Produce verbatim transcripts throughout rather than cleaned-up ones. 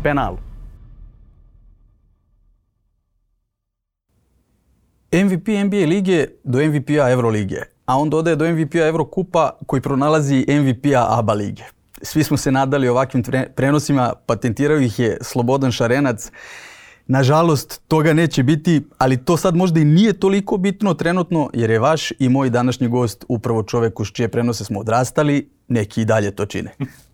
penalu. M V P N B A lige do M V P-a Evrolige, a on dodaje do M V P-a Evrokupa koji pronalazi M V P-a A B A lige. Svi smo se nadali ovakvim prenosima, patentirao ih je Slobodan Šarenac. Nažalost, toga neće biti, ali to sad možda i nije toliko bitno trenutno, jer je vaš i moj današnji gost upravo čovjek uz čije prenose smo odrastali, neki i dalje to čine.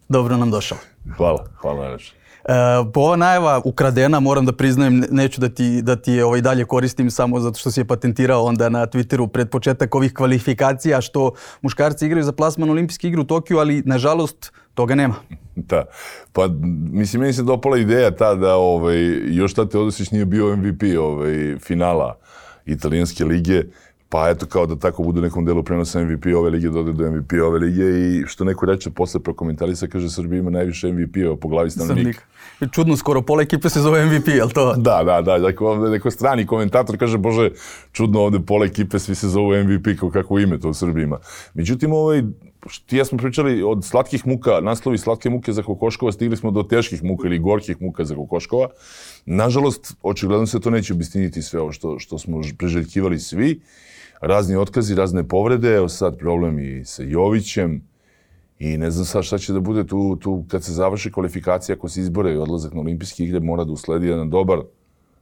Dobro nam došao. Hvala, hvala najlepše. E, po ova najava ukradena, moram da priznajem, neću da ti, da ti je ovaj dalje koristim samo zato što si je patentirao onda na Twitteru pred početak ovih kvalifikacija što muškarci igraju za plasman olimpijske igre u Tokiju, ali nažalost toga nema. Da, pa mislim, meni se dopala ideja ta da ovaj, još Tate Teodosić nije bio M V P ovaj, finala italijanske lige, pa eto kao da tako bude u nekom delu prenosa M V P ove lige, dode do M V P ove lige i što neko reče posle prokomentarisa, kaže Srbija ima najviše M V P-ova po glavi stanovnika. Čudno, skoro pola ekipe se zove M V P, jel to? Da, da, da, neko, neko strani komentator kaže, bože, čudno ovde pola ekipe svi se zovu M V P, kao kako ime to u Srbiji ima. Međutim, ovaj, ti ja smo pričali od slatkih muka, naslovi slatke muke za kokoškova, stigli smo do teških muka ili gorkih muka za kokoškova. Nažalost, očigledno se to neće obistiniti sve ovo što, što smo priželjkivali svi. Razni otkazi, razne povrede, evo sad problem i sa Jovićem i ne znam sad šta će da bude tu, tu kad se završi kvalifikacija, ako se izbore i odlazak na olimpijske igre, mora da usledi jedan dobar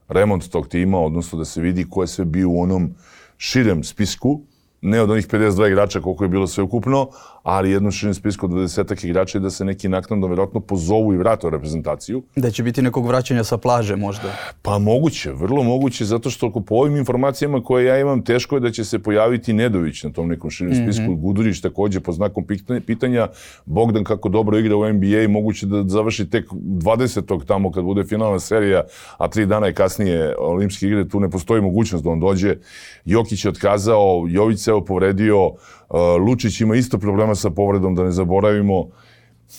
remont tog tima, odnosno da se vidi ko je sve bio u onom širem spisku, ne od onih pedeset dva igrača koliko je bilo sve ukupno, ali jednom širem spisku od dvadesetak igrača i da se neki naknadno vjerojatno pozovu i vrate u reprezentaciju. Da će biti nekog vraćanja sa plaže možda? Pa moguće, vrlo moguće, zato što po ovim informacijama koje ja imam, teško je da će se pojaviti Nedović na tom nekom širem spisku, mm-hmm. Gudurić također po znakom pitanja, Bogdan kako dobro igra u N B A, moguće da završi tek dvadesetog tamo kad bude finalna serija, a tri dana i kasnije olimpijske igre, tu ne postoji mogućnost da on dođe. Jokić je otkazao, Jović se evo povredio, Lučić ima isto problema sa povredom, da ne zaboravimo.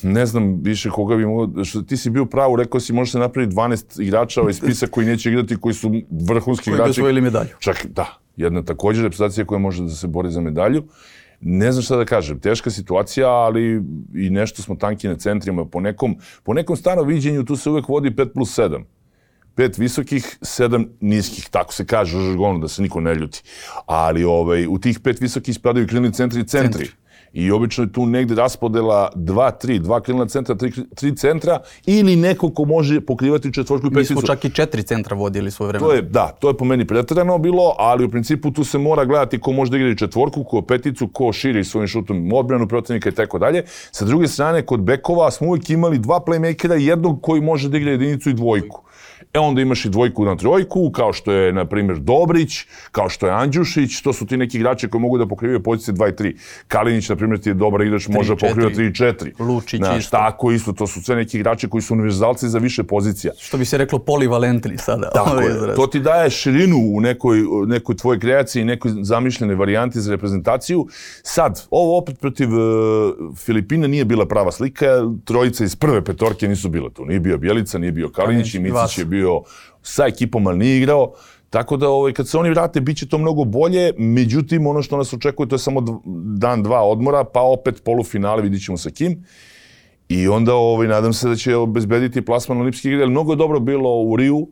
Ne znam više koga bi mogao... Ti si bio pravo, rekao si može se napraviti dvanaest igrača ovaj spisak koji neće igrati, koji su vrhunski igrači. Koji bi osvojili medalju. Čak, da. Jedna također reprezentacija koja može da se bori za medalju. Ne znam šta da kažem. Teška situacija, ali i nešto smo tanki na centrima. Po nekom, po nekom starom viđenju tu se uvek vodi pet plus sedam. Pet visokih, sedam niskih, tako se kaže u žargonu, da se niko ne ljuti. Ali ovaj, u tih pet visokih spadaju krilni centri i centri. centri. I obično je tu negde raspodela dva tri, dva krilna centra, tri, tri centra ili neko ko može pokrivati četvorku i peticu. Mi smo čak i četiri centra vodili svoje vremena. To je, da, to je po meni preterano bilo, ali u principu tu se mora gledati ko može da igra četvorku, ko peticu, ko širi svojim šutom odbranu protivnika i tako dalje. Sa druge strane, kod bekova smo uvijek imali dva playmakera, jednog koji može da igra jedinicu i dvojku. E onda imaš i dvojku na trojku, kao što je, na primjer, Dobrić, kao što je Andjušić, to su ti neki igrači koji mogu da pokrivaju pozicije dva i tri. Kalinić, na primjer, ti je dobar igrač, može da pokriva tri i četiri. Lučić Znaš, isto. Tako isto, to su sve neki igrači koji su univerzalci za više pozicija. Što bi se reklo polivalentni sada. Tako je, to ti daje širinu u nekoj, nekoj tvojoj kreaciji, nekoj zamišljenoj varijanti za reprezentaciju. Sad, ovo opet protiv uh, Filipina nije bila prava slika, trojica iz prve petorke nisu bila tu. Nije bio Bjelica, nije bio Kalinić i Micić je bio sa ekipom, ali nije igrao. Tako da ovaj, kad se oni vrate, bit će to mnogo bolje. Međutim, ono što nas očekuje, to je samo dan, dva odmora, pa opet polufinale, vidit ćemo sa kim. I onda ovaj, nadam se da će obezbediti plasman olimpijskih igre. Mnogo je dobro bilo u Riju,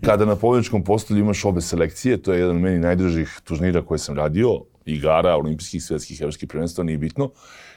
kada na pobjedničkom postolju imaš obe selekcije. To je jedan od meni najdražih turnira koje sam radio. Igara, olimpijskih, svjetskih, evropskih prvenstva, nije bitno.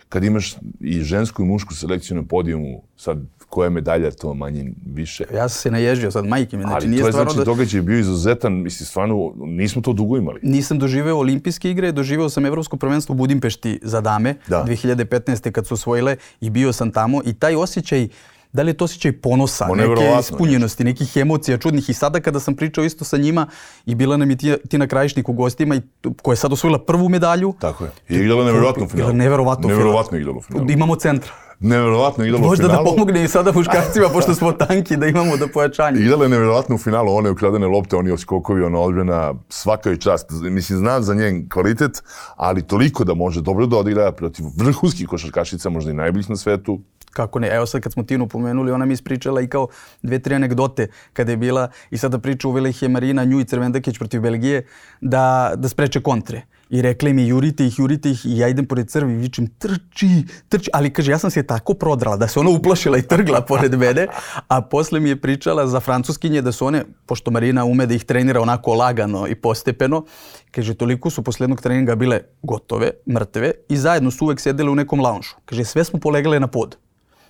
Kad imaš i žensku i mušku selekciju na podijumu, sad koja je medalja, to manje više. Ja sam se naježio sad, majke mi. Znači, ali nije to je stvarno znači da... događaj bio izuzetan, mislim, stvarno nismo to dugo imali. Nisam doživeo olimpijske igre, doživeo sam evropsko prvenstvo u Budimpešti za dame, da. dve hiljade petnaeste. kad su osvojile i bio sam tamo i taj osjećaj, da li je to osjećaj ponosa, o, neke ispunjenosti, nekih emocija čudnih. I sada kada sam pričao isto sa njima i bila nam je Tina Krajišnik u gostima i koja je sad osvojila prvu medalju. Tako je. I igrala neverovatno u finalu. Neverovatno, neverovatno igrala u finalu. Imamo centra. Neverovatno igrala u finalu. Možda da pomogne i sada muškarcima, pošto smo tanki, da imamo do pojačanja. Igrala je neverovatno u finalu, one ukradene lopte, oni oskokovi, ona odbrana, svaka je čast. Mislim, znam za njen kvalitet, ali toliko da može dobro da odigra protiv vrhunskih košarkašica, možda i najboljih na svetu. Kako ne, evo sad kad smo Tinu pomenuli, ona mi ispričala i kao dve, tri anegdote kada je bila i sada priča uvela ih je Marina Nju i Crvendakić protiv Belgije da, da spreče kontre. I rekli mi jurite ih, jurite ih i ja idem pored crvi i vičem trči, trči, ali kaže ja sam se tako prodrala da se ona uplašila i trgla pored mene, a posle mi je pričala za francuskinje da su one, pošto Marina ume da ih trenira onako lagano i postepeno, kaže toliko su posle jednog treninga bile gotove, mrtve i zajedno su uvek sedele u nekom launžu. Kaže sve smo polegale na pod.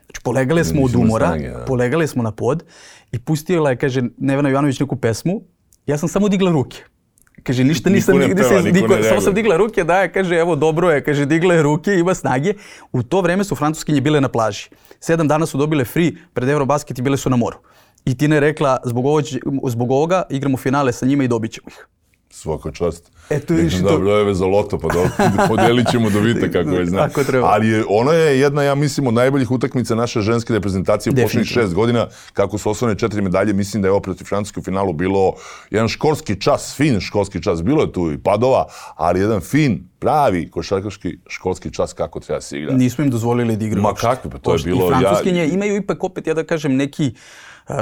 Znači polegale smo od umora, snage, polegale smo na pod i pustila je, kaže Nevena Jovanović neku pesmu, ja sam samo digla ruke. Kaže, ništa nisam, niko ne peva, se, niko niko, samo sam digla ruke, da, kaže, evo, dobro je, kaže, digla je ruke, ima snage. U to vreme su francuskinje bile na plaži. Sedam dana su dobile free pred Eurobasket i bile su na moru. I Tina je rekla, zbog, ovo, zbog ovoga igramo finale sa njima i dobit ćemo ih. Svaka čast. Eto, Nekim da brojeve za loto, pa da podelit ćemo dobita kako je znam. Ali je, ono je jedna, ja mislim, od najboljih utakmica naše ženske reprezentacije u posljednjih šest godina, kako su osvojene četiri medalje. Mislim da je ovo protiv Francuske u finalu bilo jedan školski čas, fin školski čas. Bilo je tu i padova, ali jedan fin, pravi košarkaški školski čas kako treba se igra. Nismo im dozvolili da igraju. Ma kako, pa to je bilo... I francuskinje ja... imaju ipak opet, ja da kažem, neki,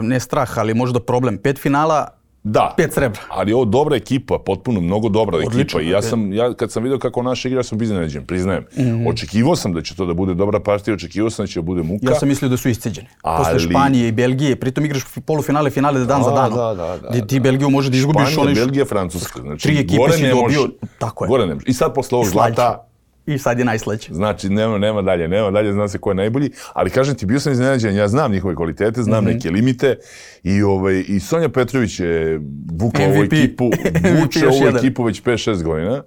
ne strah, ali možda problem. Pet finala, da, pet srebra. Ali ovo dobra ekipa, potpuno mnogo dobra Odlično, ekipa. I ja sam, ja kad sam vidio kako naš igra, sam iznenađen, priznajem. Mm-hmm. Očekivao sam da će to da bude dobra partija, očekivao sam da će da bude muka. Ja sam mislio da su isceđeni. Ali... Posle Španije i Belgije, pritom igraš polufinale, finale da dan A, za danom. Da, da, da, da. Ti Belgiju može da izgubiš. Španija, onaj... Belgija, Francuska. Znači, tri ekipe si dobio, tako je. Gore ne može. I sad posle ovog zlata... I sad je najslađe. Znači, nema, nema dalje, nema dalje, zna se ko je najbolji. Ali kažem ti, bio sam iznenađen, ja znam njihove kvalitete, znam mm-hmm. neke limite. I, ovaj, i Sonja Petrović je vukla ovu ekipu, vuče ovu ekipu već pet šest godina.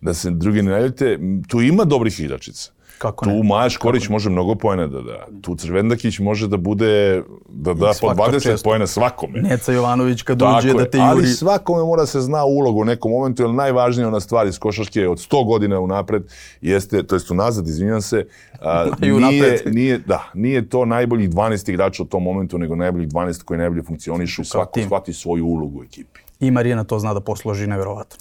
Da se drugi ne naljute, tu ima dobrih igračica. Kako tu ne? Maja Škorić može mnogo poena da da. Tu Crvendakić može da bude, da da po dvadeset poena svakome. Neca Jovanović kad tako uđe je, da te juri. Ali svakome mora se zna ulogu u nekom momentu, jer najvažnija ona stvar iz košarke od sto godina unapred jeste, to jest unazad, izvinjam se, a, nije, nije, da, nije to najboljih dvanaest igrača u tom momentu, nego najboljih dvanaest koji najbolje funkcionišu, svako shvati svoju ulogu u ekipi. I Marina to zna da posloži nevjerovatno.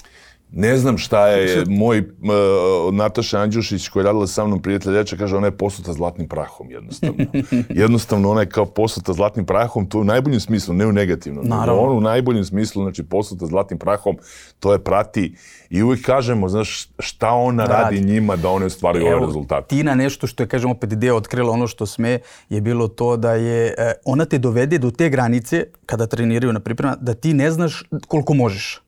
Ne znam šta je moj uh, Nataša Andjušić koja je radila sa mnom prijatelj reče, kaže ona je posuta zlatnim prahom jednostavno. Jednostavno ona je kao posuta zlatnim prahom, to u najboljem smislu, ne u negativnom. Naravno. On u najboljem smislu, znači posuta zlatnim prahom, to je prati i uvijek kažemo, znaš, šta ona radi, radi njima da one ostvaruju ove rezultate. Tina nešto što je, kažem opet, Deo otkrila ono što sme, je bilo to da je, ona te dovede do te granice, kada treniraju na priprema, da ti ne znaš koliko možeš.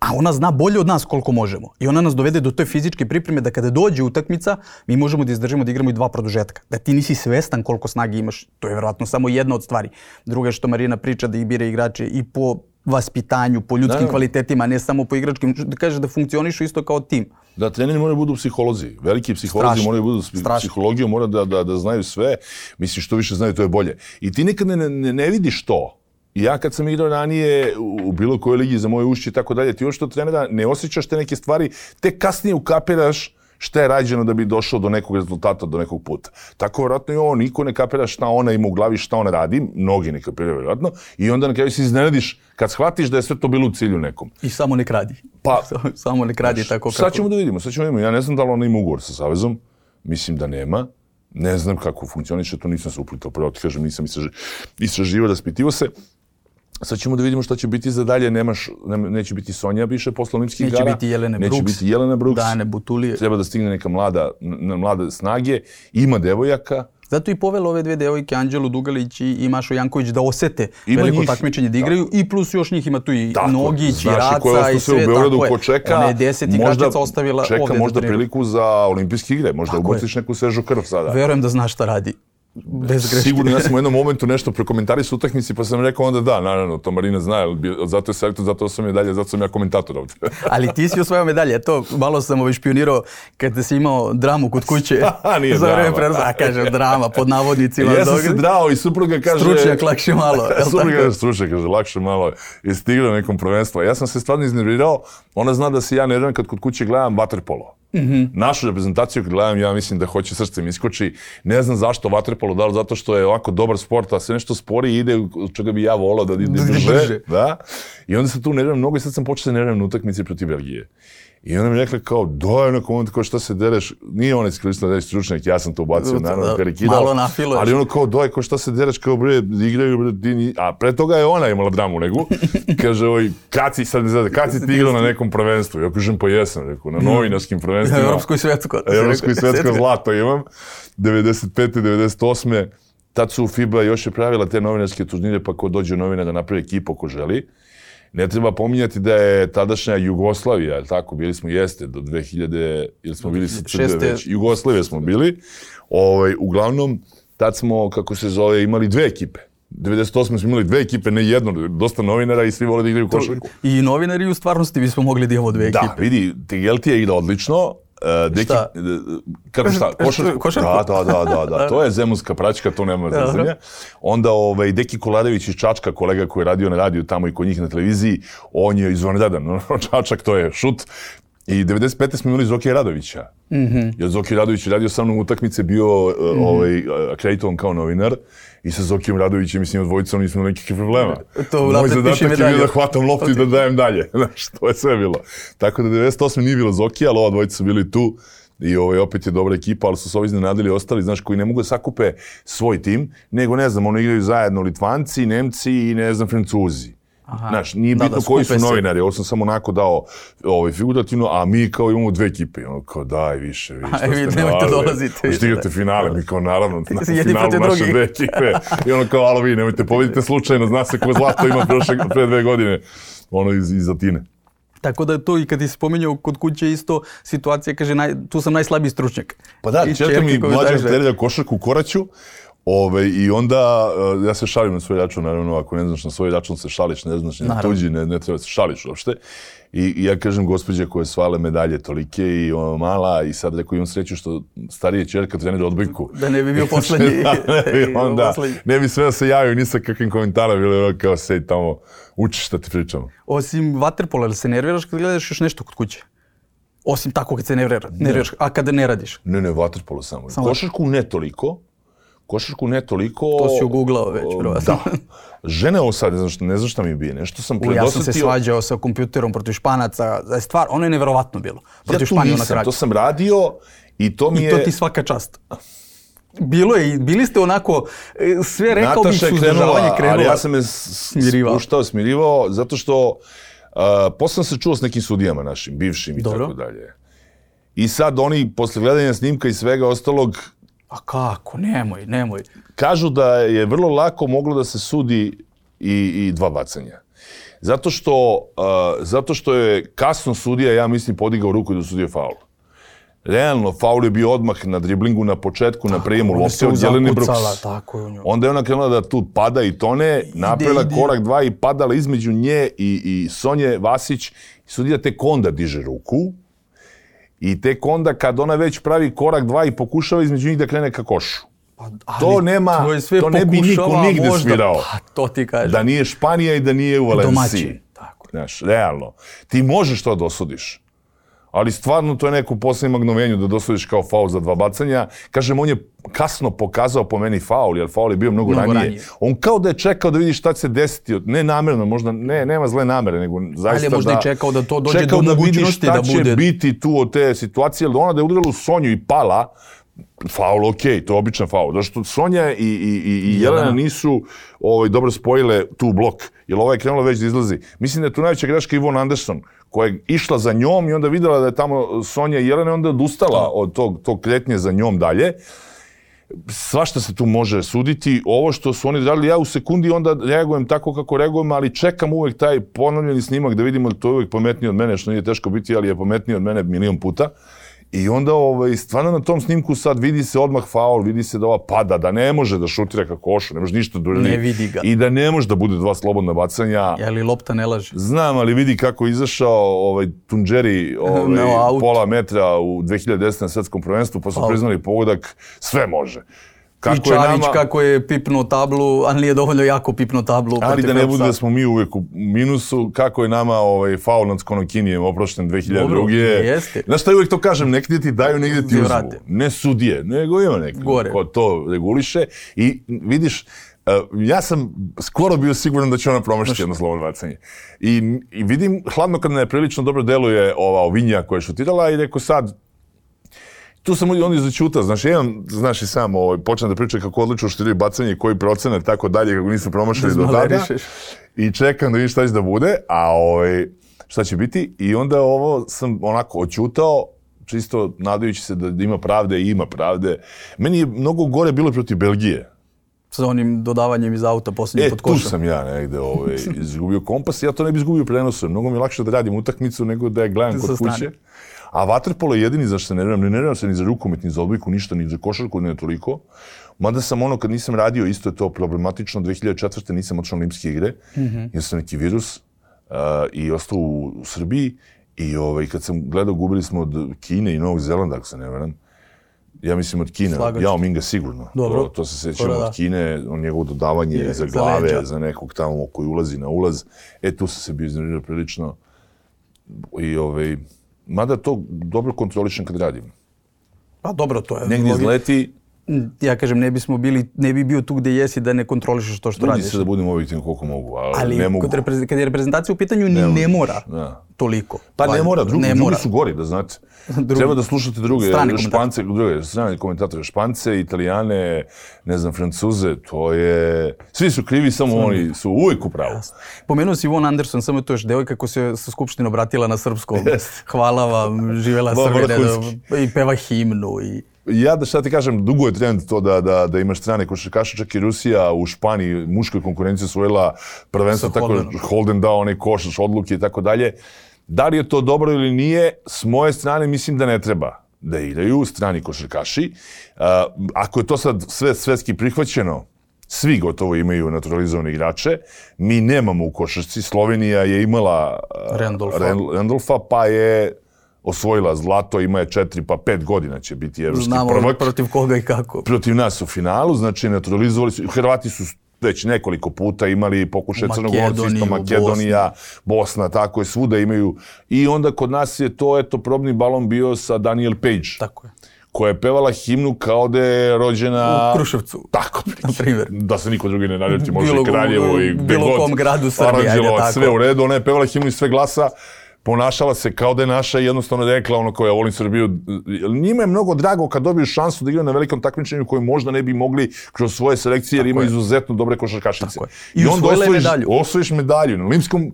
A ona zna bolje od nas koliko možemo. I ona nas dovede do te fizičke pripreme da kada dođe utakmica, mi možemo da izdržimo da igramo i dva produžetka. Da ti nisi svestan koliko snage imaš, to je vjerojatno samo jedna od stvari. Druga je što Marina priča da ih bira igrače i po vaspitanju, po ljudskim da, kvalitetima, ne samo po igračkim, da kaže da funkcionišu isto kao tim. Da, treneri moraju budu psiholozi. Veliki psiholozi Strašno. moraju budu psihologiju, moraju da, da, da znaju sve. Mislim, što više znaju, to je bolje. I ti nikad ne, ne, ne vidiš to. I ja kad sam igrao ranije u bilo kojoj ligi za moje ušće i tako dalje, ti još što trenera ne osjećaš te neke stvari, te kasnije ukapiraš šta je rađeno da bi došao do nekog rezultata, do nekog puta. Tako vjerojatno i ovo, niko ne kapira šta ona ima u glavi, šta ona radi, mnogi ne kapiraju vjerojatno, i onda na kraju se iznenadiš kad shvatiš da je sve to bilo u cilju nekom. I samo nek radi. Pa, samo nek radi tako kako... Sad ćemo da vidimo, sad ćemo da vidimo. Ja ne znam da li ona ima ugovor sa Savezom, mislim da nema. Ne znam kako funkcioniše, to nisam se uplitao. Prvo ti kažem, nisam istraživao, raspitivao se. Sad ćemo da vidimo šta će biti za dalje. Nemaš, ne, neće biti Sonja više posle olimpijskih igara. Neće biti Jelena Brooks. Neće biti Jelena Brooks. Dane Butulije. Treba da stigne neka mlada, na mlade snage. Ima devojaka. Zato i povelo ove dve devojke, Anđelu Dugalić i Mašu Janković, da osete ima veliko njih, takmičenje da igraju. Tako. I plus još njih ima tu i tako, Nogić, i Raca i sve. U Beogradu ko čeka, ona je deset igračica ostavila čeka ovdje možda priliku za olimpijske igre. Možda ubaciš neku svežu krv sada. Verujem da zna šta radi. Bez greške. Sigurno, ja sam u jednom momentu nešto prekomentarisao utakmici, pa sam rekao onda da, naravno, to Marina zna, zato je selektor, zato sam medalje, zato sam ja komentator ovdje. Ali ti si osvojio medalje, to malo sam ovaj špionirao kad si imao dramu kod kuće. Nije za drama. Prenosa, a kaže drama, pod navodnicima. Ja sam se drao i supruga kaže... Stručnjak, lakše malo. Supruga kaže stručnjak, kaže lakše malo. I stigla nekom prvenstvu. Ja sam se stvarno iznervirao, ona zna da se ja nerviram kad kod kuće gledam vaterpolo. Mm-hmm. Našu reprezentaciju kad gledam, ja mislim da hoće srce mi iskoči. Ne znam zašto vaterpolo, da li zato što je ovako dobar sport, a sve nešto spori i ide, čega bi ja volao da ide brže. Da. I onda se tu nerviram mnogo i sad sam počeo da nerviram na utakmici protiv Belgije. I onda mi rekla kao, doj, na komentu, kao šta se dereš, nije on iskoristila da je stručnjak, ja sam to ubacio, naravno, karikirao. Malo nafiluješ. Ali ono kao, doj, kao šta se dereš, kao bre, igraju, bre, ti ni... A pre toga je ona imala dramu nego. Kaže, oj, kad si, sad ne zada, kad si ti igrao na nekom prvenstvu? Ja kažem, pa jesam, rekao, na novinarskim prvenstvima. Evropsko i svetsko. Evropsko i svetsko zlato imam. devedeset pete devedeset osme Tad su FIBA još je pravila te novinarske turnire, pa ko dođe novina da napravi ekipu ko želi. Ne treba pominjati da je tadašnja Jugoslavija, je tako, bili smo jeste do dve hiljade, ili smo bili sa Crne već, Jugoslavije smo bili. Ovaj, uglavnom, tad smo, kako se zove, imali dve ekipe. devedeset osme smo imali dve ekipe, ne jedno, dosta novinara i svi vole da igraju košarku. I novinari u stvarnosti bismo mogli da imamo dve ekipe. Da, vidi, Tegelti je igrao odlično. Uh, deki, šta? Kako šta? Košarku? Košarku? Da, da, da, da, da. To je zemunska praćka, to nema zazanja. Onda ovaj, Deki Kolarević iz Čačka, kolega koji je radio na radiju tamo i kod njih na televiziji, on je izvanredan. Čačak, to je šut. I devedeset pete smo imali Zokija Radovića. Mm-hmm. Jer Zokija Radović je radio sa mnom utakmice, bio mm-hmm. ovaj, akreditovan kao novinar. I sa Zokijom Radovićem i s njim dvojicom nismo nekih problema. To Moj zadatak je bio da hvatam loptu i da dajem dalje. Znaš, to je sve bilo. Tako da devedeset osme nije bilo Zokija, ali ova dvojica su bili tu. I ovaj, opet je dobra ekipa, ali su se ovi iznenadili ostali, znaš, koji ne mogu da sakupe svoj tim, nego, ne znam, ono igraju zajedno Litvanci, Nemci i, ne znam, Francuzi. Aha. Znaš, nije bitno da, da, koji su novinari, ovo sam samo onako dao ovaj, figurativno, a mi kao imamo dve ekipe. Ono kao daj više, vi što vi ste nemojte dolaziti. Što igrate finale, mi kao naravno na finalu naše dve ekipe. I ono kao, alo vi, nemojte pobedite slučajno, zna se ko zlato ima prošle, pre dve godine, ono iz, iz Atine. Tako da to i kad ti se spominjao kod kuće isto situacija, kaže, naj, tu sam najslabiji stručnjak. Pa da, čerka mi mlađa treća košarku u Koraću. Ove, I onda, uh, ja se šalim na svoj račun, naravno, ako ne znaš na svoj račun se šališ, ne znaš na tuđi, ne, ne treba se šališ uopšte. I, I ja kažem gospođe koje svale medalje tolike i ono, mala, i sad rekao imam sreću što starije čerka trenira odbojku. Da ne bi bio poslednji. da, ne bi, onda, ne bi sve da se javio ni sa kakvim komentarom, bilo kao sedi tamo, učiš šta ti pričamo. Osim vaterpola, ali se nerviraš kad gledaš još nešto kod kuće? Osim tako kad se nervira, nerviraš, a kada ne radiš? Ne, ne, vaterpolo samo. samo. Košarku ne toliko. Košarku ne toliko... To si ugooglao već, vjerovatno. Da. Žene ovo sad, ne znam šta, ne znam šta mi bije, nešto sam predosetio... Ja sam se svađao sa kompjuterom protiv Španaca, da je stvar, ono je nevjerovatno bilo. Protiv ja tu Španiju nisam, to sam radio i to mi I je... I to ti svaka čast. Bilo je, bili ste onako, sve rekao bih suzdržavanje krenula. Ali ja sam je spuštao, smirivao, zato što uh, posle sam se čuo s nekim sudijama našim, bivšim i Dobro. tako dalje. I sad oni, posle gledanja snimka i svega ostalog, a kako? Nemoj, nemoj. kažu da je vrlo lako moglo da se sudi i, i dva bacanja. Zato što, uh, zato što je kasno sudija, ja mislim, podigao ruku i da sudio faul. Realno, faul je bio odmah na driblingu na početku, tako, na prijemu lopte od Jelene Brooks. Tako je u njoj. Onda je ona krenula da tu pada i tone, napravila korak dva i padala između nje i, i Sonje Vasić. Sudija tek onda diže ruku. I tek onda kad ona već pravi korak dva i pokušava između njih da krene ka košu. Pa, ali to nema, to, to ne bi niko nigde možda, svirao. Pa, to ti kažem. Da nije Španija i da nije u Valenciji. Domaćin. Tako. Znaš, realno. Ti možeš to da osudiš. Ali stvarno to je neko posljednjem magnovenju da dosudiš kao faul za dva bacanja. Kažem, on je kasno pokazao po meni faul, jer faul je bio mnogo, mnogo ranije. ranije. On kao da je čekao da vidi šta će se desiti. Ne namjerno, možda, ne, nema zle namere, nego zaista da... Ali je možda da, i čekao da to dođe do da mogućnosti da bude... Čekao da vidi šta će biti tu od te situacije, jer ona da je udarila u Sonju i pala, faul, okej, okay, to je običan faul. Zato što Sonja i, i, i, i Jelena nisu ovaj, dobro spojile tu blok, jer ova je krenula već da izlazi. Mislim da je tu najveća greška Ivon Anderson, koja je išla za njom i onda vidjela da je tamo Sonja i Jelena i onda odustala od tog, tog kretnje za njom dalje. Svašta se tu može suditi. Ovo što su oni radili, ja u sekundi onda reagujem tako kako reagujem, ali čekam uvek taj ponovljeni snimak da vidimo da to je uvek pametniji od mene, što nije teško biti, ali je pametniji od mene milion puta. I onda ovaj, stvarno na tom snimku sad vidi se odmah faul, vidi se da ova pada, da ne može da šutira ka košu, ne može ništa da uradi. Ne vidi ga. I da ne može da bude dva slobodna bacanja. Je li lopta ne laže? Znam, ali vidi kako je izašao ovaj, Tunđeri ovaj, no, pola metra u dve hiljade desete na svetskom prvenstvu, pa su priznali pogodak, sve može. Kako I Čavić nama... kako je pipnuo tablu, ali nije dovoljno jako pipnuo tablu. Ali da ne bude da smo mi uvijek u minusu, kako je nama ovaj, faul nad Konokinijem oprošten dve hiljade druge. Jeste. Znaš šta uvijek to kažem, negdje ti daju, negdje ti uzmu. Ne sudije, nego ima neki ko to reguliše. I vidiš, Uh, ja sam skoro bio siguran da će ona promašiti jedno slobodno bacanje. I, I vidim, hladno kad ne prilično dobro deluje ova Ovinja koja je šutirala i rekao sad, tu sam onda izaćuta, znaš, jedan, znaš i sam, ovaj, počnem da pričam kako odlično šutiraju bacanje, koji procenat, tako dalje, kako nisu promašili do tada. I čekam da vidim šta će da bude, a ovaj, šta će biti. I onda ovo sam onako oćutao, čisto nadajući se da ima pravde i ima pravde. Meni je mnogo gore bilo protiv Belgije. Sa onim dodavanjem iz auta posljednje e, pod košem. E, tu sam ja negde ovaj, izgubio kompas. Ja to ne bi izgubio prenosom. Mnogo mi je lakše da radim utakmicu nego da je gledam kod kuće. A vaterpolo je jedini zašto se ne nerviram. Ne nerviram se ni za rukomet, ni za odbojku, ništa, ni za košarku, ne toliko. Mada sam ono, kad nisam radio, isto je to problematično. dve hiljade četvrte nisam otišao na olimpijske igre. Mm-hmm. Jer sam neki virus uh, i ostao u, u Srbiji. I ovaj, kad sam gledao, gubili smo od Kine i Novog Zelanda, ako se ne veram. Ja mislim od Kine, Jao Minga sigurno. To, to se sećamo od Kine, on njegovo dodavanje je, za glave, za, za nekog tamo koji ulazi na ulaz. E, tu sam se bio iznervirao prilično. I ovaj, mada to dobro kontrolišem kad radim. Pa dobro, to je. Negdje izleti. Ja kažem, ne bismo bili, ne bi bio tu gdje jesi da ne kontrolišeš to što radiš. Budi se da budem objektivno koliko mogu, ali, ali ne mogu. Ali kad je reprezentacija u pitanju, ni ne, ne mora da. Toliko. Pa ne mora, drugi, ne drugi mora. Su gori, da znate. Drugi. Treba da slušate druge, Špance, druge strane komentatore, Špance, Italijane, ne znam, Francuze, to je... Svi su krivi, samo Svi. Oni su uvijek u pravu. Pomenuo si Ivon Anderson, samo to još devojka koja se sa Skupštine obratila na srpskom. Yes. Hvala vam, živjela Srbije, i peva himnu i... Ja da šta ti kažem, dugo je trend to da, da, da imaš strane košarkaše, čak i Rusija u Španiji muškoj konkurenciji osvojila prvenstvo, tako da Holden dao onaj koš, odluke i tako dalje. Da li je to dobro ili nije, s moje strane mislim da ne treba da igraju strani košarkaši. Uh, ako je to sad sve svetski prihvaćeno, svi gotovo imaju naturalizovane igrače. Mi nemamo u košarci, Slovenija je imala uh, Randolfa. Randolfa, pa je osvojila zlato, ima je četiri pa pet godina će biti evropski Znamo prvak. Znamo protiv koga i kako. Protiv nas u finalu, znači naturalizovali su. Hrvati su već nekoliko puta imali pokušaj Crnogorci, isto Makedonija, Bosna. Bosna, tako je, svuda imaju. I onda kod nas je to, eto, probni balon bio sa Daniel Page. Tako je. Koja je pevala himnu kao da je rođena... U Kruševcu. Tako, na primjer. Da se niko drugi ne naljuti, može i Kraljevo i gde bilo god. Bilo kom gradu Srbije, ajde tako. Sve u redu, ona je pevala himnu iz sve glasa. Ponašala se kao da je naša i jednostavno rekla ono koja volim Srbiju. Njima je mnogo drago kad dobiju šansu da igraju na velikom takmičenju koje možda ne bi mogli kroz svoje selekcije jer imaju izuzetno dobre košarkašice. I, I onda osvojiš medalju. osvojiš medalju. Na olimpijskom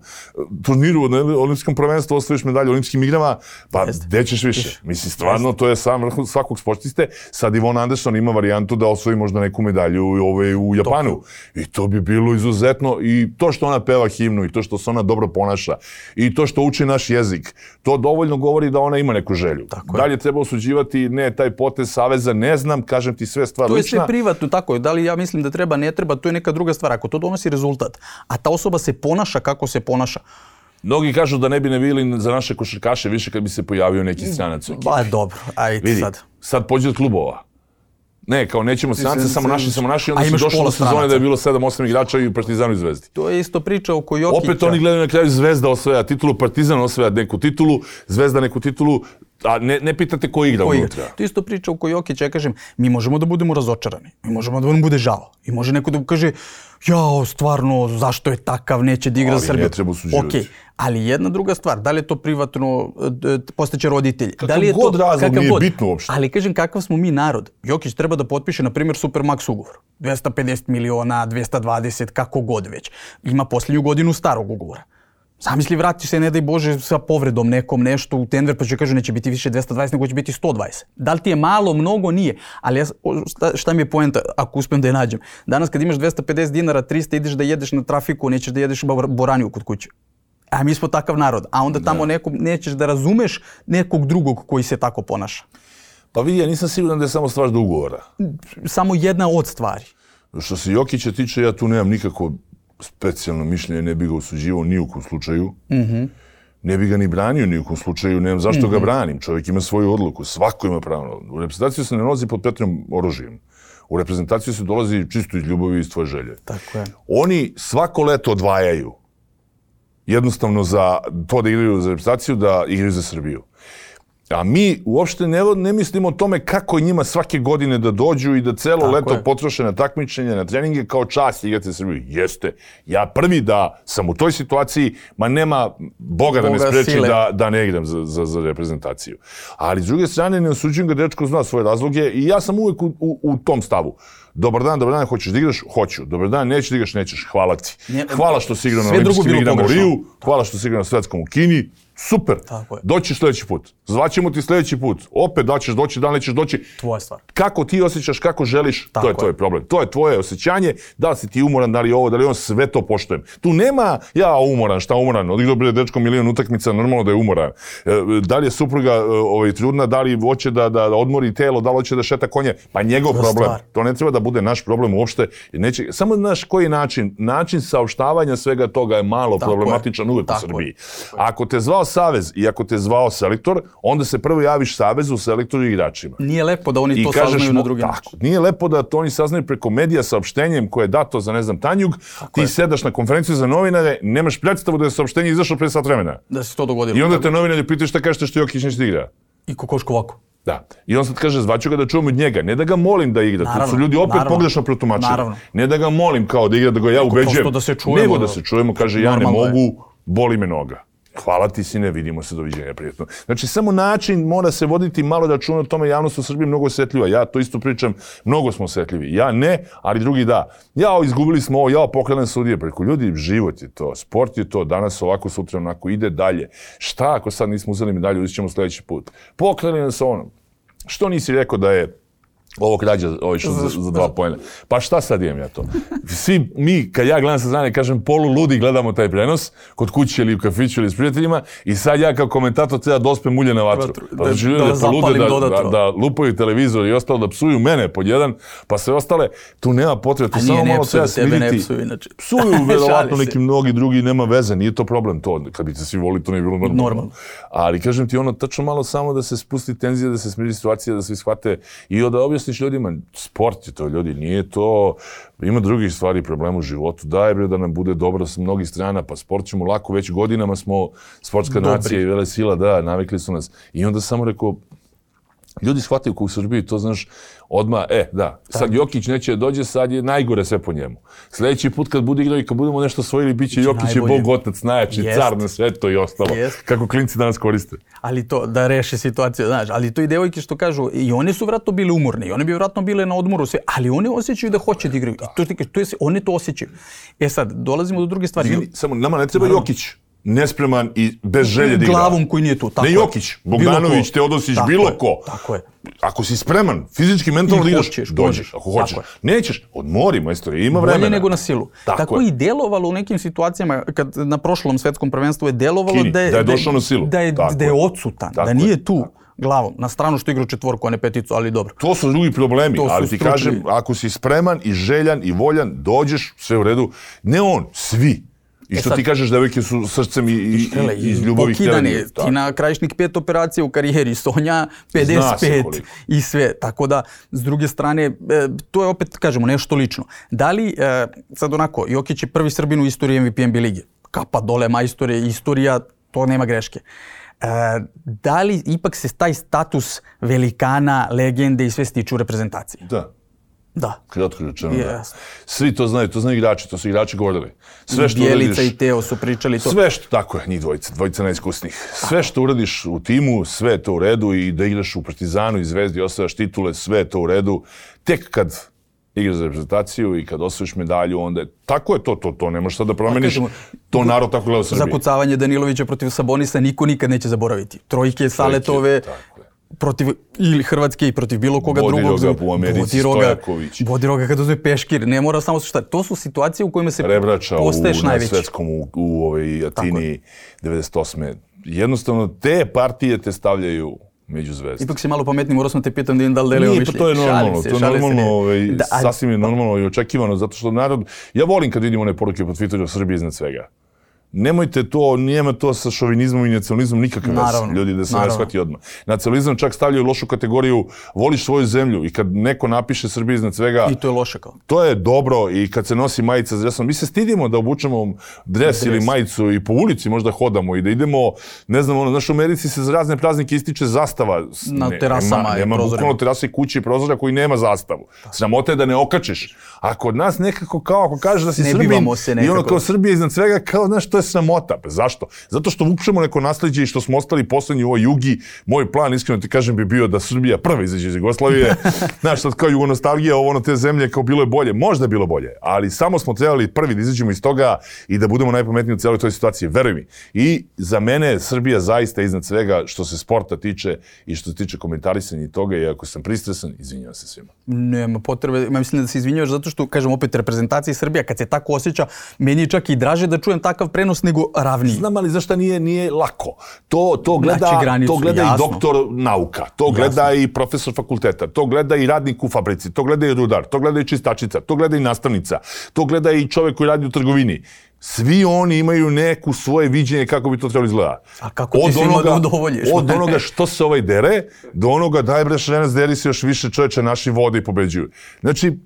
turniru, na olimpijskom prvenstvu osvojiš medalju, olimpijskim igrama, pa gde ćeš više? Mislim, stvarno, to je sam vrh svakog sportiste. Sad Ivon Anderson ima varijantu da osvoji možda neku medalju ove, u Japanu. Toku. I to bi bilo izuzetno. I to što ona peva himnu i to što se ona dobro ponaša i to što uči naš jezik, to dovoljno govori da ona ima neku želju. Dalje treba osuđivati, ne, taj potez saveza, ne znam, kažem ti sve stvar lična. To je lična. sve privatno, tako je. Da li ja mislim da treba, ne treba, to je neka druga stvar. Ako to donosi rezultat, a ta osoba se ponaša kako se ponaša. Mnogi kažu da ne bi ne bili za naše košarkaše više kad bi se pojavio neki stranac. Ba, dobro, ajde vidi, sad. Sad pođe od klubova. Ne, kao nećemo strance, samo naši, samo naši, onda su došli do sezone da je bilo sedam osam igrača i u Partizanu i Zvezdi. To je isto priča oko Jokića. Opet oni gledaju na kraju Zvezda osvaja titulu, Partizan osvaja neku titulu, Zvezda neku titulu, a ne, ne pitate ko igra unutra. To je isto priča oko Jokića, ja kažem, mi možemo da budemo razočarani, mi možemo da nam bude žao. I može neko da kaže, jao, stvarno, zašto je takav, neće da igra za Srbiju. Ali ne treba osuđivati. Okay. Ali jedna druga stvar, da li je to privatno, postaće roditelji. Kakav da li je god to, razlog kakav nije god. bitno uopšte. Ali kažem, kakav smo mi narod. Jokić treba da potpiše, na primjer, Supermax ugovor. dvesta pedeset miliona, dvesta dvadeset, kako god već. Ima posljednju godinu starog ugovora. Zamisli, vrati se, ne daj Bože, sa povredom nekom nešto u Denver, pa će kažu neće biti više dvesta dvadeset, nego će biti sto dvadeset. Da li ti je malo, mnogo, nije. Ali ja, šta, šta mi je poenta, ako uspijem da je nađem? Danas kad imaš dvesta pedeset dinara, trista, ideš da jedeš na trafiku, nećeš da jedeš boraniju kod kuće. A mi smo takav narod. A onda tamo nekom, nećeš da razumeš nekog drugog koji se tako ponaša. Pa vidi, ja nisam siguran da je samo stvar do ugovora. Samo jedna od stvari. Što se Jokića tiče, ja tu nemam nikako specijalno mišljenje, ne bi ga osuđivao ni u kom slučaju. Mm-hmm. Ne bi ga ni branio ni u kom slučaju, nemam zašto mm-hmm. ga branim. Čovjek ima svoju odluku, svako ima pravo. U reprezentaciju se ne nalazi pod petrim oružjem. U reprezentaciju se dolazi čisto iz ljubavi i iz tvoje želje. Tako je. Oni svako leto odvajaju jednostavno za to da igraju za reprezentaciju, da igraju za Srbiju. A mi uopšte ne, ne mislimo o tome kako je njima svake godine da dođu i da celo Tako leto je. potroše na takmičenje, na treninge kao čast igrati za Srbiju. Jeste. Ja prvi da sam u toj situaciji, ma nema Boga da me Boga spreči sile. da, da ne igram za, za, za reprezentaciju. Ali s druge strane ne osuđujem ga, dečko zna svoje razloge i ja sam uvek u, u, u tom stavu. Dobar dan, dobar dan, hoćeš da igraš? Hoću. Dobar dan, nećeš da igraš? Nećeš. Hvala ti. Nje- Hvala što si igrao na sve drugo olimpijskim bilo igrama u pogrešno. Riju. Hvala što si igrao na svetskom u Kini. Super. Tako je. Doći sljedeći put. Zvaćemo ti sljedeći put. Opet da ćeš doći, da li nećeš doći. Tvoja stvar. Kako ti osjećaš, kako želiš, Tako to je je. tvoj problem. To je tvoje osjećanje, da li si ti umoran, da li je ovo, da li je on, sve to poštujem. Tu nema ja umoran, šta umoran, odigrao bre dečko milion utakmica, normalno da je umoran. E, Da li je supruga e, ovaj, trudna, da li hoće da, da odmori telo, da li hoće da šeta konje, pa njegov To je problem. stvar. To ne treba da bude naš problem uopšte. Neće, samo znaš koji način, način saopštavanja svega toga je malo Tako je. problematičan uvek u Tako Srbiji. je. Ako te zvao savez i ako te zvao selektor, onda se prvo javiš savezu, selektoru i igračima. Nije lepo da oni I to kažeš saznaju mu, na drugi tako, način. nije lepo da to oni saznaju preko medija saopštenjem koje je dato za, ne znam, Tanjug, ti je. sedaš na konferenciju za novinare, nemaš predstavu da je saopštenje izašlo pre sat vremena. Da se to dogodilo. I onda te novinari pitaju šta kažete što Jokić neće da igra. I kokoško ovako. Da. I on sad kaže, zvaću ga da čujem od njega. Ne da ga molim da igra. To Naravno, su ljudi opet naravno. pogrešno protumačili. Naravno. Ne da ga molim kao da igra, da ga ja ubeđujem. prosto da se čujemo. Nego da se čujemo, kaže, ja ne Normalno je. mogu, boli me noga. Hvala ti, sine, vidimo se, doviđenja, prijetno. Znači, samo način mora se voditi malo računa o tome, javnost u Srbiji mnogo osjetljiva. Ja to isto pričam, mnogo smo osjetljivi. Ja ne, ali drugi da. Ja, izgubili smo ovo, ja, pokrenem sudije. Preko ljudi, život je to, sport je to, danas ovako, sutra onako, ide dalje. Šta ako sad nismo uzeli medalju, uzet ćemo sljedeći put. Pokreni nas ono. Što nisi rekao da je ovo krađa, ovo išlo za, za dva pojena. Pa šta sad imam ja to? Svi mi, kad ja gledam sa strane, kažem, polu ludi gledamo taj prenos, kod kuće ili u kafiću ili s prijateljima, i sad ja kao komentator treba da ospem ulje na vatru. Vatru, Pa da- znači ljudi da da polude, zapalim da, da, dodatno. da lupaju televizor i ostalo, da psuju mene pod jedan, pa sve ostale, tu nema potrebe, tu A samo nije, ne malo psuju, treba tebe ne smiriti. psuju inače. Psuju Šalim verovatno se. neki mnogi drugi, nema veze, nije to problem to. Kad bi se svi volili, to ne bi bilo normalno. Normalno. Ali kažem ti ono, tačno malo samo da se spusti tenzija, da se smiri situacija, da svi shvate i da objasniš ljudima, sport je to, ljudi, nije to, ima drugih stvari, problema u životu, daj bre da nam bude dobro s mnogih strana, pa sport ćemo lako, već godinama smo sportska Dobri. nacija i vele sila, da, navikli su nas. I onda samo rekao, ljudi shvataju ko u Srbiji, to znaš, odmah, e, da, sad Jokić neće da dođe, sad je najgore sve po njemu. Sljedeći put kad bude igrao i kad budemo nešto osvojili, bit će Jokić je najbolje. bog, otac, najjači, Jest. car na svetu i ostalo. Jest. Kako klinci danas koriste. Ali to, da reši situaciju, znaš, ali to i devojke što kažu, i one su vratno bile umorne, i one bi vratno bile na odmoru, sve, ali one osjećaju da hoće da igraju. I to, ti kažeš, to je, one to osjećaju. E sad, dolazimo do druge stvari. Izvini, samo nama ne treba Jokić, nespreman i bez želje da igra. Glavom koji nije tu, tako Ne je. Jokić, Bilo Bogdanović, ko. Teodosić, Tako bilo je, ko. Tako je. Ako si spreman, fizički, mentalno I da igraš, hoćeš, dođeš. možeš. Ako hoćeš. Tako Nećeš, odmori, majstore, ima vremena. Bolje nego na silu. Tako Tako, je. i delovalo u nekim situacijama, kad na prošlom svetskom prvenstvu je delovalo Kini, da je, da je došao na silu. Da je, Tako da je je. odsutan, Tako da je. nije tu glavom. Na stranu što igra četvorku, a ne peticu, ali dobro. To su drugi problemi, To su ali ti stručni. kažem, ako si spreman i željan i voljan, dođeš, sve u redu. Ne on, svi. I što sad- ti kažeš, devojke su srcem i, i, Hele, i iz ljubavi pokidani, htjeli. ti na Krajišnik pet operacija u karijeri, Sonja pedeset pet koliko. i sve. Tako da, s druge strane, e, to je opet, kažemo, nešto lično. Da li, e, sad onako, Jokić je prvi Srbin u istoriji M V P N B lige. Kapa dole, majstore, istorija, to nema greške. E, da li ipak se taj status velikana, legende i sve stiču u reprezentaciji? Da. Da. Kratko rečeno, da. Jasno. Svi to znaju, to znaju igrači, to su igrači govorili. Sve što Bjelica uradiš, i Teo su pričali to. sve što, tako je, njih dvojica, dvojica najiskusnijih. Sve što uradiš u timu, sve je to u redu i da igraš u Partizanu i Zvezdi, osvajaš titule, sve je to u redu. Tek kad igraš za reprezentaciju i kad osvojiš medalju, onda je, tako je to, to, to ne možeš sad da promeniš, kažemo, to narod tako gleda u Srbiji. Zakucavanje Danilovića protiv Sabonisa niko nikad neće zaboraviti. Trojke, Saletove, tako je. protiv ili Hrvatske i protiv bilo koga Bodiroga drugog. u Americi, Bodiroga, Stojaković. Bodiroga kada uzme Peškir, ne mora samo šta. To su situacije u kojima se Rebrača u, postaješ na najveći. svetskom u, u ovoj Atini devedeset osme. Jednostavno, te partije te stavljaju među zvezde. Ipak si malo pametniji, morao sam te pitam da im da li deleo Nije, mišljenje. pa to je normalno, Šalim se, to je šalim se, normalno, ne. ovaj, Da, a- sasvim je normalno i očekivano, zato što narod, ja volim kad vidim one poruke po Twitteru Srbije iznad svega. nemojte to, nijema to sa šovinizmom i nacionalizmom nikakve veze, ljudi, da se ne shvati odmah. Nacionalizam čak stavljaju lošu kategoriju, voliš svoju zemlju i kad neko napiše Srbija iznad svega... I to je loše kao. To je dobro i kad se nosi majica s dresom, mi se stidimo da obučemo dres ili majicu i po ulici možda hodamo i da idemo, ne znam, ono, znaš, u Americi se za razne praznike ističe zastava. Na terasama i prozorima. Nema bukvalno terasa i kuće i prozora koji nema zastavu. Sramota je da ne okačiš. A kod nas nekako kao ako kažeš da si Srbin i ono kao Srbija iznad svega, kao, znaš, to je sramota. Zašto? Zato što vučemo neko nasleđe i što smo ostali poslednji u ovoj jugi. Moj plan, iskreno ti kažem, bi bio da Srbija prva izađe iz Jugoslavije. Znaš, sad kao jugonostalgija, ovo ono te zemlje, kao bilo je bolje. Možda je bilo bolje, ali samo smo trebali prvi da izađemo iz toga i da budemo najpametniji u cijeloj toj situaciji. Veruj mi. I za mene Srbija zaista iznad svega što se sporta tiče i što se tiče komentarisanja i toga, i ako sam pristresan, izvinjavam se svima. Nema potrebe, ja mislim da se izvinjavaš zato što, kažem opet, reprezentacija Srbija, kad se tako osjeća, meni je čak i draže da čujem takav prenos nego ravniji. Znam, ali zašto nije, nije lako? To, to gleda, znači, granicu, to gleda i doktor nauka, to gleda jasno. I profesor fakulteta, to gleda i radnik u fabrici, to gleda i rudar, to gleda i čistačica, to gleda i nastavnica, to gleda i čovjek koji radi u trgovini. Svi oni imaju neku svoje viđenje kako bi to trebalo izgleda. A kako ti svima da udovoljiš? Od onoga što se ovaj dere, do onoga daj bre šrenac, deri se još više čovječe, naši vode i pobeđuju. Znači,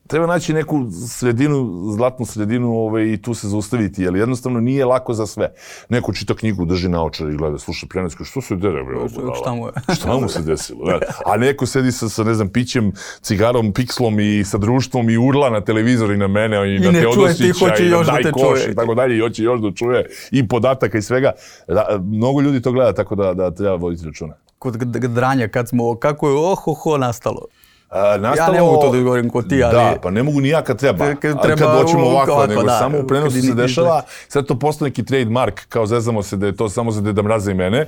treba naći neku sredinu, zlatnu sredinu ovaj, i tu se zaustaviti, jer jednostavno nije lako za sve. Neko čita knjigu, drži naočar i gleda, sluša prenos, što se dere, bre, šta mu je? Šta mu se desilo? Ne? A neko sedi sa, sa, ne znam, pićem, cigarom, pikslom i sa društvom i urla na televizor i na mene i, i na Teodosića i na daj koš i tako dalje i hoće još da čuje i podataka i svega. Da, mnogo ljudi to gleda, tako da, da treba voditi računa. Kod dranja, kad smo, kako je ohoho nastalo? A, nastalo, ja ne mogu to da govorim kod ti, ali... Da, pa ne mogu ni ja kad treba, kad, treba kad doćemo ovako, ovako, nego da, samo u prenosu se dešava, sad to postane neki trademark, kao zezamo se da je to samo za Deda Mraza i mene.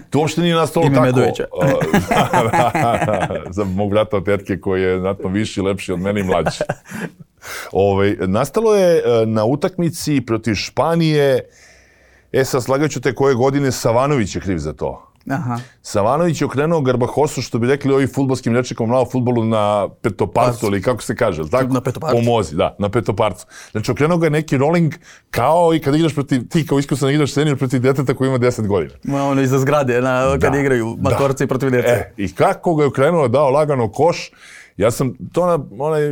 To uopšte nije nastalo Ime tako. Medovića. Za mog brata od tetke koji je znatno viši, lepši od mene i mlađi. Ove, nastalo je na utakmici protiv Španije, e sad slagaću te koje godine, Savanović je kriv za to. Aha. Savanović je okrenuo Garbahosu, što bi rekli ovi fudbalskim rečnikom na fudbalu, na petoparcu, ili kako se kaže, tako? Na petoparcu. Pomozi, da, na petoparcu. Znači, okrenuo ga neki rolling kao i kad igraš protiv, ti kao iskusan igraš senior protiv djeteta koji ima deset godina. Ma ono iza zgrade, na, kad da, igraju matorci da. Protiv djece. E, i kako ga je okrenuo, dao lagano koš. Ja sam to na onaj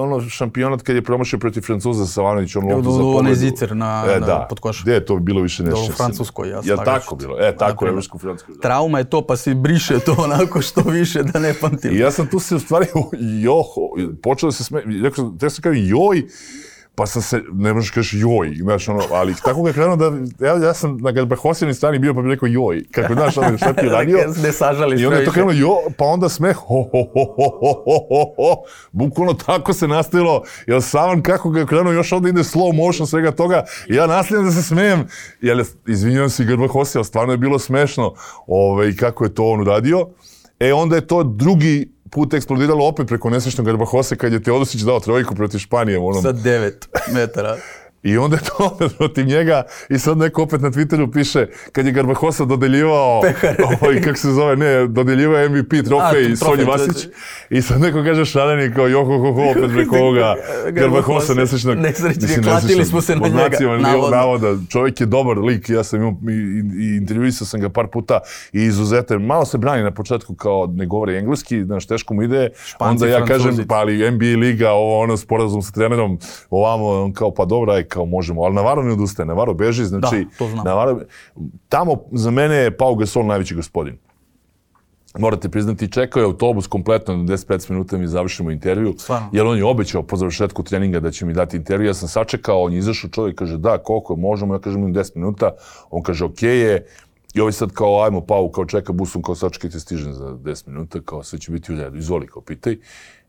ono šampionat kad je promašio protiv Francuza Savanović, on loptu za pobedu. Onaj zicer na, e, na da. pod koš. Gdje je to bilo više nešto? U Francuskoj, ja ja tako bilo. E, tako je, evropsko-francuskoj. Trauma je to, pa se briše to onako što više da ne pamtim. I ja sam tu se u stvari, joho, počeo da se sme... Rekao sam, sam kao joj, pa sam se, ne možeš kaži joj, znaš ono, ali tako ga je krenuo da, ja, ja sam na Garbahosinoj strani bio pa bi rekao joj, kako znaš ono šta ti je radio. Ne sažali i onda je to krenuo jo, pa onda smeh, ho, ho, ho, ho, ho, ho, ho, bukvalno tako se nastavilo, jer Savan kako ga je krenuo, još onda ide slow motion svega toga, i ja nastavljam da se smijem, jer izvinjavam se Garbahosi, ali stvarno je bilo smešno, ove, kako je to on uradio. E onda je to drugi put eksplodiralo opet preko nesrećnog Garbahose kad je Teodosić dao trojku protiv Španije. Onom... Sa devet metara. I onda je to opet protiv njega i sad neko opet na Twitteru piše kad je Garbahosa dodeljivao, ovaj, kako se zove, ne, dodeljivao M V P trofej i Sonji Vasić. I sad neko kaže šaleni kao joho ho ho opet preko ovoga Garbahosa nesrećnog. Nesrećnije, klatili smo se na njega. Navoda. Čovjek je dobar lik, ja sam imao i, i intervjuisao sam ga par puta i izuzetan. Malo se brani na početku kao ne govori engleski, znaš, teško mu ide. Španci, onda ja Francuzi. kažem, pa ali N B A liga, ovo ono sporazum sa trenerom, ovamo, on kao pa dobra, kao možemo, ali Navarro ne odustaje, Navarro beži, znači, da, to znam. Navarro, tamo za mene je Pau Gasol najveći gospodin. Morate priznati, čekao je autobus kompletno na deset do petnaest minuta mi završimo intervju, Stvarno? jer on je obećao po završetku treninga da će mi dati intervju, ja sam sačekao, on je izašao, čovjek kaže da, koliko možemo, ja kažem im deset minuta, on kaže okej je, i ovaj sad kao ajmo Pau, kao čeka busom, kao sačekajte stižem za deset minuta, kao sve će biti u redu, izvoli kao pitaj.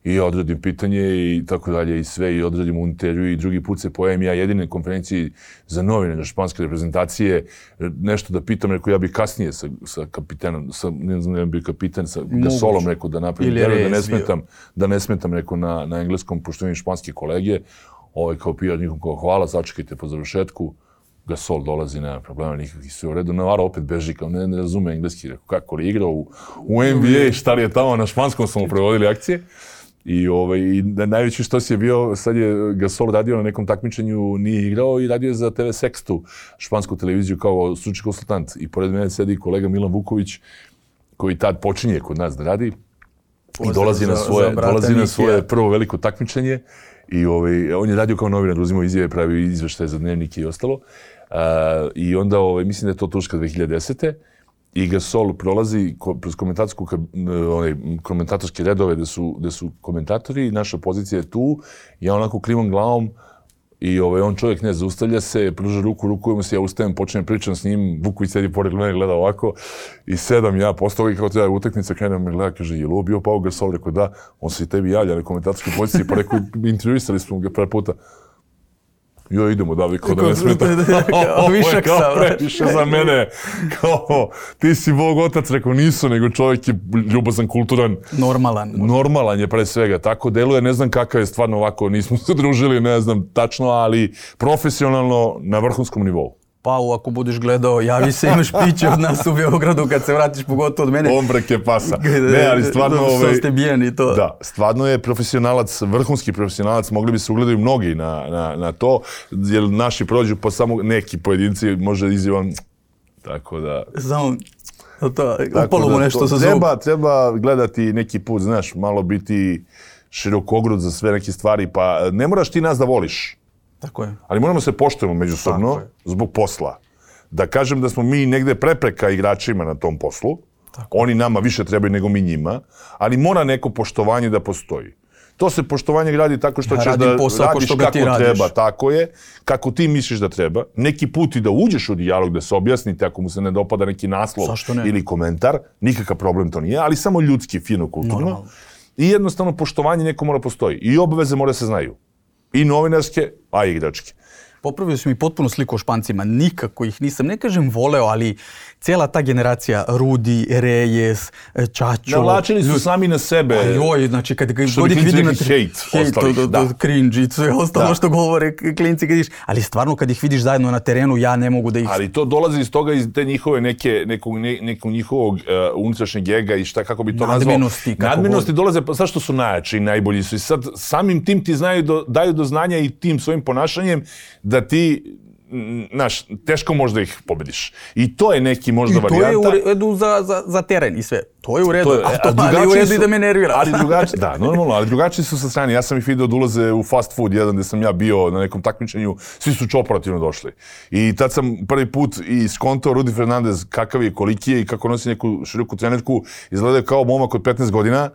I ja odradim pitanje i tako dalje i sve i odradim u intervju i drugi put se pojavim ja jedine konferenciji za novine na španske reprezentacije, nešto da pitam, rekao ja bih kasnije sa, sa kapitenom, sa, ne znam, ne bih kapiten, sa Gasolom rekao da napravim intervju, da ne smetam, da ne smetam rekao na, na engleskom, pošto imam španske kolege, ovaj kao P R nikom kao hvala, sačekajte po završetku, Gasol dolazi, nema problema nikakvih, sve u redu. Navarro opet beži, kao ne, ne razume engleski, rekao kako li igrao u, u N B A, šta li je tamo, na španskom smo mu prevodili akcije. I, ovaj, i najveći što si je bio, sad je Gasol radio na nekom takmičenju, nije igrao i radio je za T V Sextu, špansku televiziju kao stručni konsultant. I pored mene sedi kolega Milan Vuković, koji tad počinje kod nas da radi. I dolazi na svoje, dolazi na svoje prvo veliko takmičenje. I ovaj, on je radio kao novinar, uzimao izjave, pravio izveštaje za Dnevnik i ostalo. Uh, I onda, ovaj, mislim da je to Turska dve hiljade desete. I Gasol prolazi kroz komentatorske, onaj, komentatorske redove gde su, gde su komentatori, naša pozicija je tu, ja onako klivom glavom i ovaj, on čovjek ne zaustavlja se, pruža ruku, rukujemo se, ja ustajem, počnem pričam s njim, Vuković sedi pored mene, gleda ovako i sedam ja, posle toga kao treba utakmica, krenem me gleda, kaže, je li ovo bio Pau Gasol? Rekao da, on se i tebi javlja na komentatorskoj poziciji, pa rekao, intervjuisali smo ga pre puta. Jo, idemo, da, kao da ne smeta. Ovo je kao previše za mene. Kao, ti si Bog otac, rekao, nisu, nego čovjek je ljubazan, kulturan. Normalan. Normalan je pre svega. Tako deluje, ne znam kakav je stvarno ovako, nismo se družili, ne znam tačno, ali profesionalno na vrhunskom nivou. Pau, ako budeš gledao, javi se, imaš piće od nas u Beogradu kad se vratiš, pogotovo od mene. Ombrake pasa. Ne, ali stvarno... Ovaj, ste bijeni to. Da, stvarno je profesionalac, vrhunski profesionalac, mogli bi se ugledati mnogi na, na, na to, jer naši prođu po samo neki pojedinci, može izjavan, tako da... Samo, to, upalo mu nešto sa zub. Treba, treba gledati neki put, znaš, malo biti širokogrud za sve neke stvari, pa ne moraš ti nas da voliš. Tako je. Ali moramo se poštujemo međusobno zbog posla. Da kažem da smo mi negde prepreka igračima na tom poslu. Tako. Oni nama više trebaju nego mi njima, ali mora neko poštovanje da postoji. To se poštovanje gradi tako što ja ćeš da radiš kako treba, tako je, kako ti misliš da treba. Neki put i da uđeš u dijalog, da se objasnite ako mu se ne dopada neki naslov ili komentar, nikakav problem to nije, ali samo ljudski, fino, kulturno. Normalno. I jednostavno poštovanje neko mora postoji. I obaveze mora se znaju. I novinarske, a i igračke. Popravio si mi potpuno sliku o Špancima. Nikako ih nisam, ne kažem voleo, ali cijela ta generacija, Rudi, Reyes, Čačo... Navlačili su sami na sebe. Joj, znači kad god ih vidim... Hejt, cringe i sve ostalo što govore klinci kad vidiš. Ali stvarno kad ih vidiš zajedno na terenu, ja ne mogu da ih... Ali to dolazi iz toga, iz te njihove neke, nekog, ne, nekog njihovog uh, unutrašnjeg ega i šta, kako bi to nazvao. Nadmenosti. Nadmenosti dolaze, zašto su najjači i najbolji su. I sad samim tim ti znaju do, daju do znanja i tim svojim ponašanjem da ti, znaš, teško možda ih pobediš. I to je neki možda varijanta. I to je u redu za, za, za teren i sve. To je u redu, to je, a to a ali u redu su, i da me nervira. Ali drugačiji, da, normalno, ali drugačiji su sa strane. Ja sam ih vidio da ulaze u fast food, jedan gde sam ja bio na nekom takmičenju, svi su čoperativno došli. I tad sam prvi put i skontao Rudi Fernandez kakav je, koliki je i kako nosi neku široku trenerku, izgleda kao momak od petnaest godina.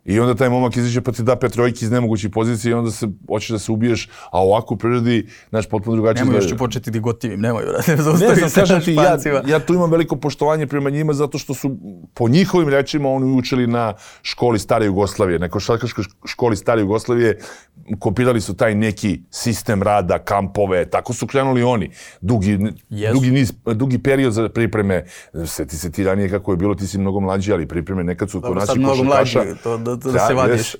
I onda taj momak izađe pa ti da pet trojki iz nemogućih pozicija i onda se hoćeš da se ubiješ, a ovako u prirodi, znaš, potpuno drugačije. Nemoj, još ću početi da gotivim, nemoj, brate, ne znam, kažem ti, ja, ja tu imam veliko poštovanje prema njima zato što su, po njihovim rečima, oni učili na školi Stare Jugoslavije, na košarkaškoj školi Stare Jugoslavije, kopirali su taj neki sistem rada, kampove, tako su krenuli oni. Dugi, yes. dugi, niz, dugi period za pripreme, sjeti se ti ranije kako je bilo, ti si mnogo mlađi, ali pripreme nekad su kod naših košarkaša. Da, da se vadiš.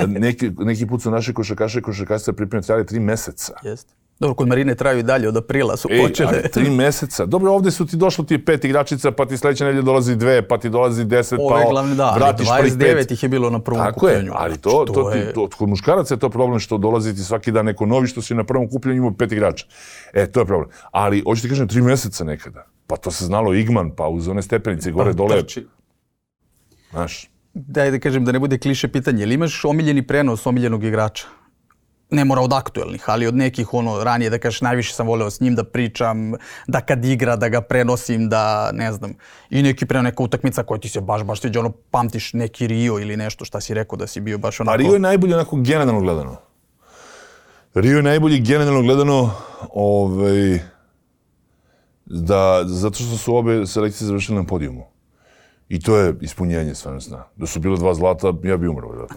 neki, neki put su naše košarkaše i košarkašice pripreme trajali tri meseca. Jest. Dobro, kod Marine traju i dalje, od aprila su Ej, počele. Ali tri meseca. Dobro, ovdje su ti došlo ti pet igračica, pa ti sljedeće nedelje dolazi dve, pa ti dolazi deset, Ove, pa glavni, da, vratiš prvih pet. dvadeset devet ih je bilo na prvom Tako kupljenju. Tako je, ali to, to, to, je... to, kod muškaraca je to problem što dolazi ti svaki dan neko novi, što si na prvom kupljenju imao pet igrača. E, to je problem. Ali, hoću ti kažem, tri meseca nekada. Pa to se znalo Igman, pa uz one stepenice gore pa, dole. Trči. Znaš. Daj da kažem da ne bude kliše pitanje, ili imaš omiljeni prenos omiljenog igrača? Ne mora od aktuelnih, ali od nekih ono ranije da kažeš najviše sam voleo s njim da pričam, da kad igra da ga prenosim, da ne znam. I neki prenos, neka utakmica koja ti se baš baš sviđa, ono pamtiš neki Rio ili nešto šta si rekao da si bio baš onako... A Rio je najbolji onako generalno gledano. Rio je najbolji generalno gledano ovaj, da, zato što su obe selekcije završile na podijumu. I to je ispunjenje stvarno sna. Da su bilo dva zlata, ja bi umro.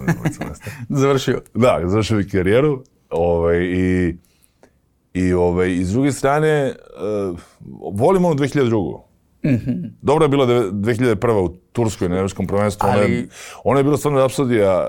Završio. Da, završio bi karijeru. Ovaj, i, i, ovaj, i s druge strane, uh, volim ono dve hiljade druge. Mm-hmm. Dobra je bila dve hiljade prve u Turskoj, na evropskom prvenstvu. Ali... Ona, je, ona je bila stvarno apsurdija.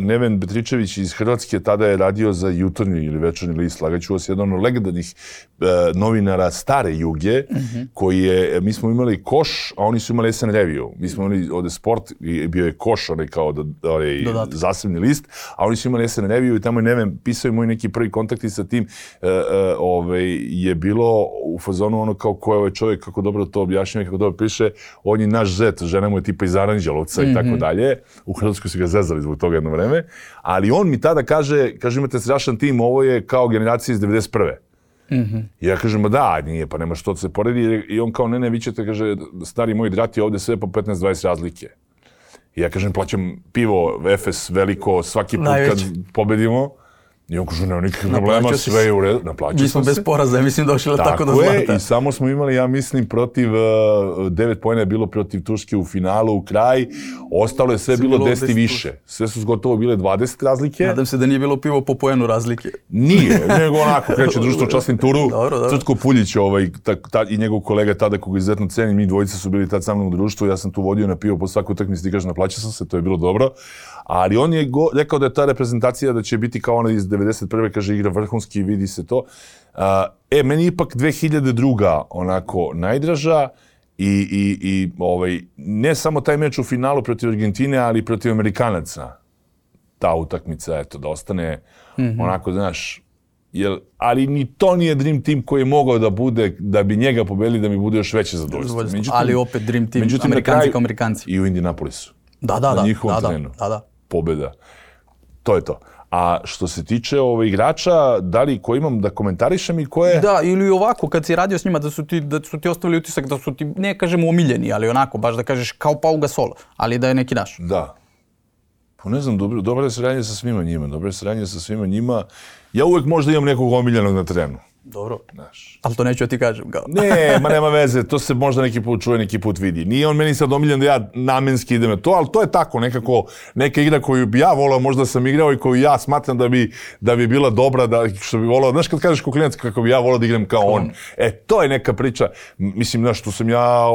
Neven Betričević iz Hrvatske tada je radio za jutarnji ili večernji list, lagaću vas, jedan od legendarnih uh, novinara stare Juge, mm-hmm. koji je, mi smo imali Koš, a oni su imali S N Reviju. Mi smo imali ovde Sport i bio je Koš, onaj kao da, onaj zasebni list, a oni su imali S N Reviju i tamo je Neven pisao i moj neki prvi kontakti sa tim uh, uh, ovaj, je bilo u fazonu ono kao ko je ovaj čovjek, kako dobro to objašnjava, kako dobro piše, on je naš zet, žena mu je tipa iz Aranđelovca mm-hmm. i tako dalje. U Hrvatskoj su ga zezali zbog toga jedno vreme. Ali on mi tada kaže, kaže imate strašan tim, ovo je kao generacija iz devedeset prve. Mm-hmm. I ja kažem, da, nije, pa nema što da se poredi. I on kao, ne, ne, vi ćete, kaže, stari moj drati ovde sve po petnaest dvadeset razlike. I ja kažem, plaćam pivo, Efes, veliko, svaki put Najveć. Kad pobedimo. I on kaže, nema nikakvih problema, sve je u redu, naplaćao sam se. Mi smo bez poraza, mislim, došli tako, tako do zlata. Tako je, i samo smo imali, ja mislim, protiv, uh, devet pojena je bilo protiv Turske u finalu, u kraj, ostalo je sve bilo deset i više. Sve su gotovo bile dvadeset razlike. Nadam se da nije bilo pivo po pojenu razlike. Nije, nego onako, kreće društvo časnim turu, Crtko Puljić ovaj, ta, ta, i njegov kolega tada, koga izuzetno cenim, mi dvojice su bili tad sa mnom u društvu, ja sam tu vodio na pivo po svaku utakmicu i kaže, naplaćao sam se, to je bilo dobro. Ali on je go, rekao da je ta reprezentacija da će biti kao ona iz devedeset prve, kaže, igra vrhunski, vidi se to. Uh, e, meni ipak dve hiljade druga onako najdraža i, i, i ovaj, ne samo taj meč u finalu protiv Argentine, ali protiv Amerikanaca. Ta utakmica, eto, da ostane mm-hmm. onako, znaš, jel, ali ni to nije Dream Team koji je mogao da bude, da bi njega pobedili, da mi bude još veće zadovoljstvo. Međutim, ali opet Dream Team, Amerikanci kao Amerikanci. I u Indianapolisu. Da, da, da. Na njihovom da, terenu. Da, da. Pobjeda. To je to. A što se tiče ove igrača, da li ko imam da komentarišem i ko je... Da, ili ovako, kad si radio s njima, da su ti, da su ti ostavili utisak da su ti, ne kažemo omiljeni, ali onako, baš da kažeš kao Pau Gasol, ali da je neki naš. Da. Pa ne znam, dobro, dobro je saradnje sa svima njima, dobro je saradnje sa svima njima. Ja uvek možda imam nekog omiljenog na terenu. Dobro, znaš. Ali to neću ja ti kažem. Kao. Ne, ma nema veze, to se možda neki put čuje, neki put vidi. Nije on meni sad omiljen da ja namenski idem na to, ali to je tako, nekako, neka igra koju bi ja volao, možda sam igrao i koju ja smatram da bi, da bi bila dobra, da, što bi volao, znaš kad kažeš ko klinac kako bi ja volao da igram kao on. E, to je neka priča, mislim, znaš, tu sam ja,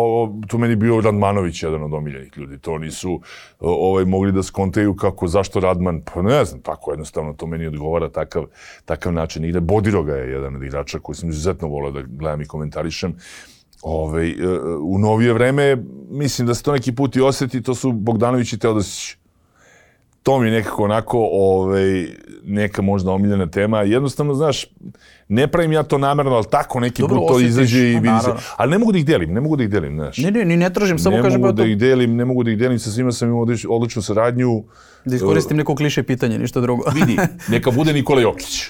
tu meni bio Radmanović, jedan od omiljenih ljudi, to nisu ovaj, mogli da skontaju kako, zašto Radman, pa ne znam, tako jednostavno, to meni odgovara takav, takav način igre. Bodiroga je jedan od igrača koji sam izuzetno volao da gledam i komentarišem. Ove, u novije vreme, mislim da se to neki put i osjeti, to su Bogdanović i Teodosić. To mi je nekako onako, ove, neka možda omiljena tema. Jednostavno, znaš, ne pravim ja to namjerno, ali tako neki Dobro, put to osjetiš, izađe i vidi se. Ali ne mogu da ih delim, ne mogu da ih delim, znaš. Ne, ne, ni ne tražim, samo ne kažem... Ne mogu da ih delim, ne mogu da ih delim, sa svima sam imao odličnu saradnju. Da iskoristim neko kliše pitanje, ništa drugo. Vidi, neka bude Nikola Jokić.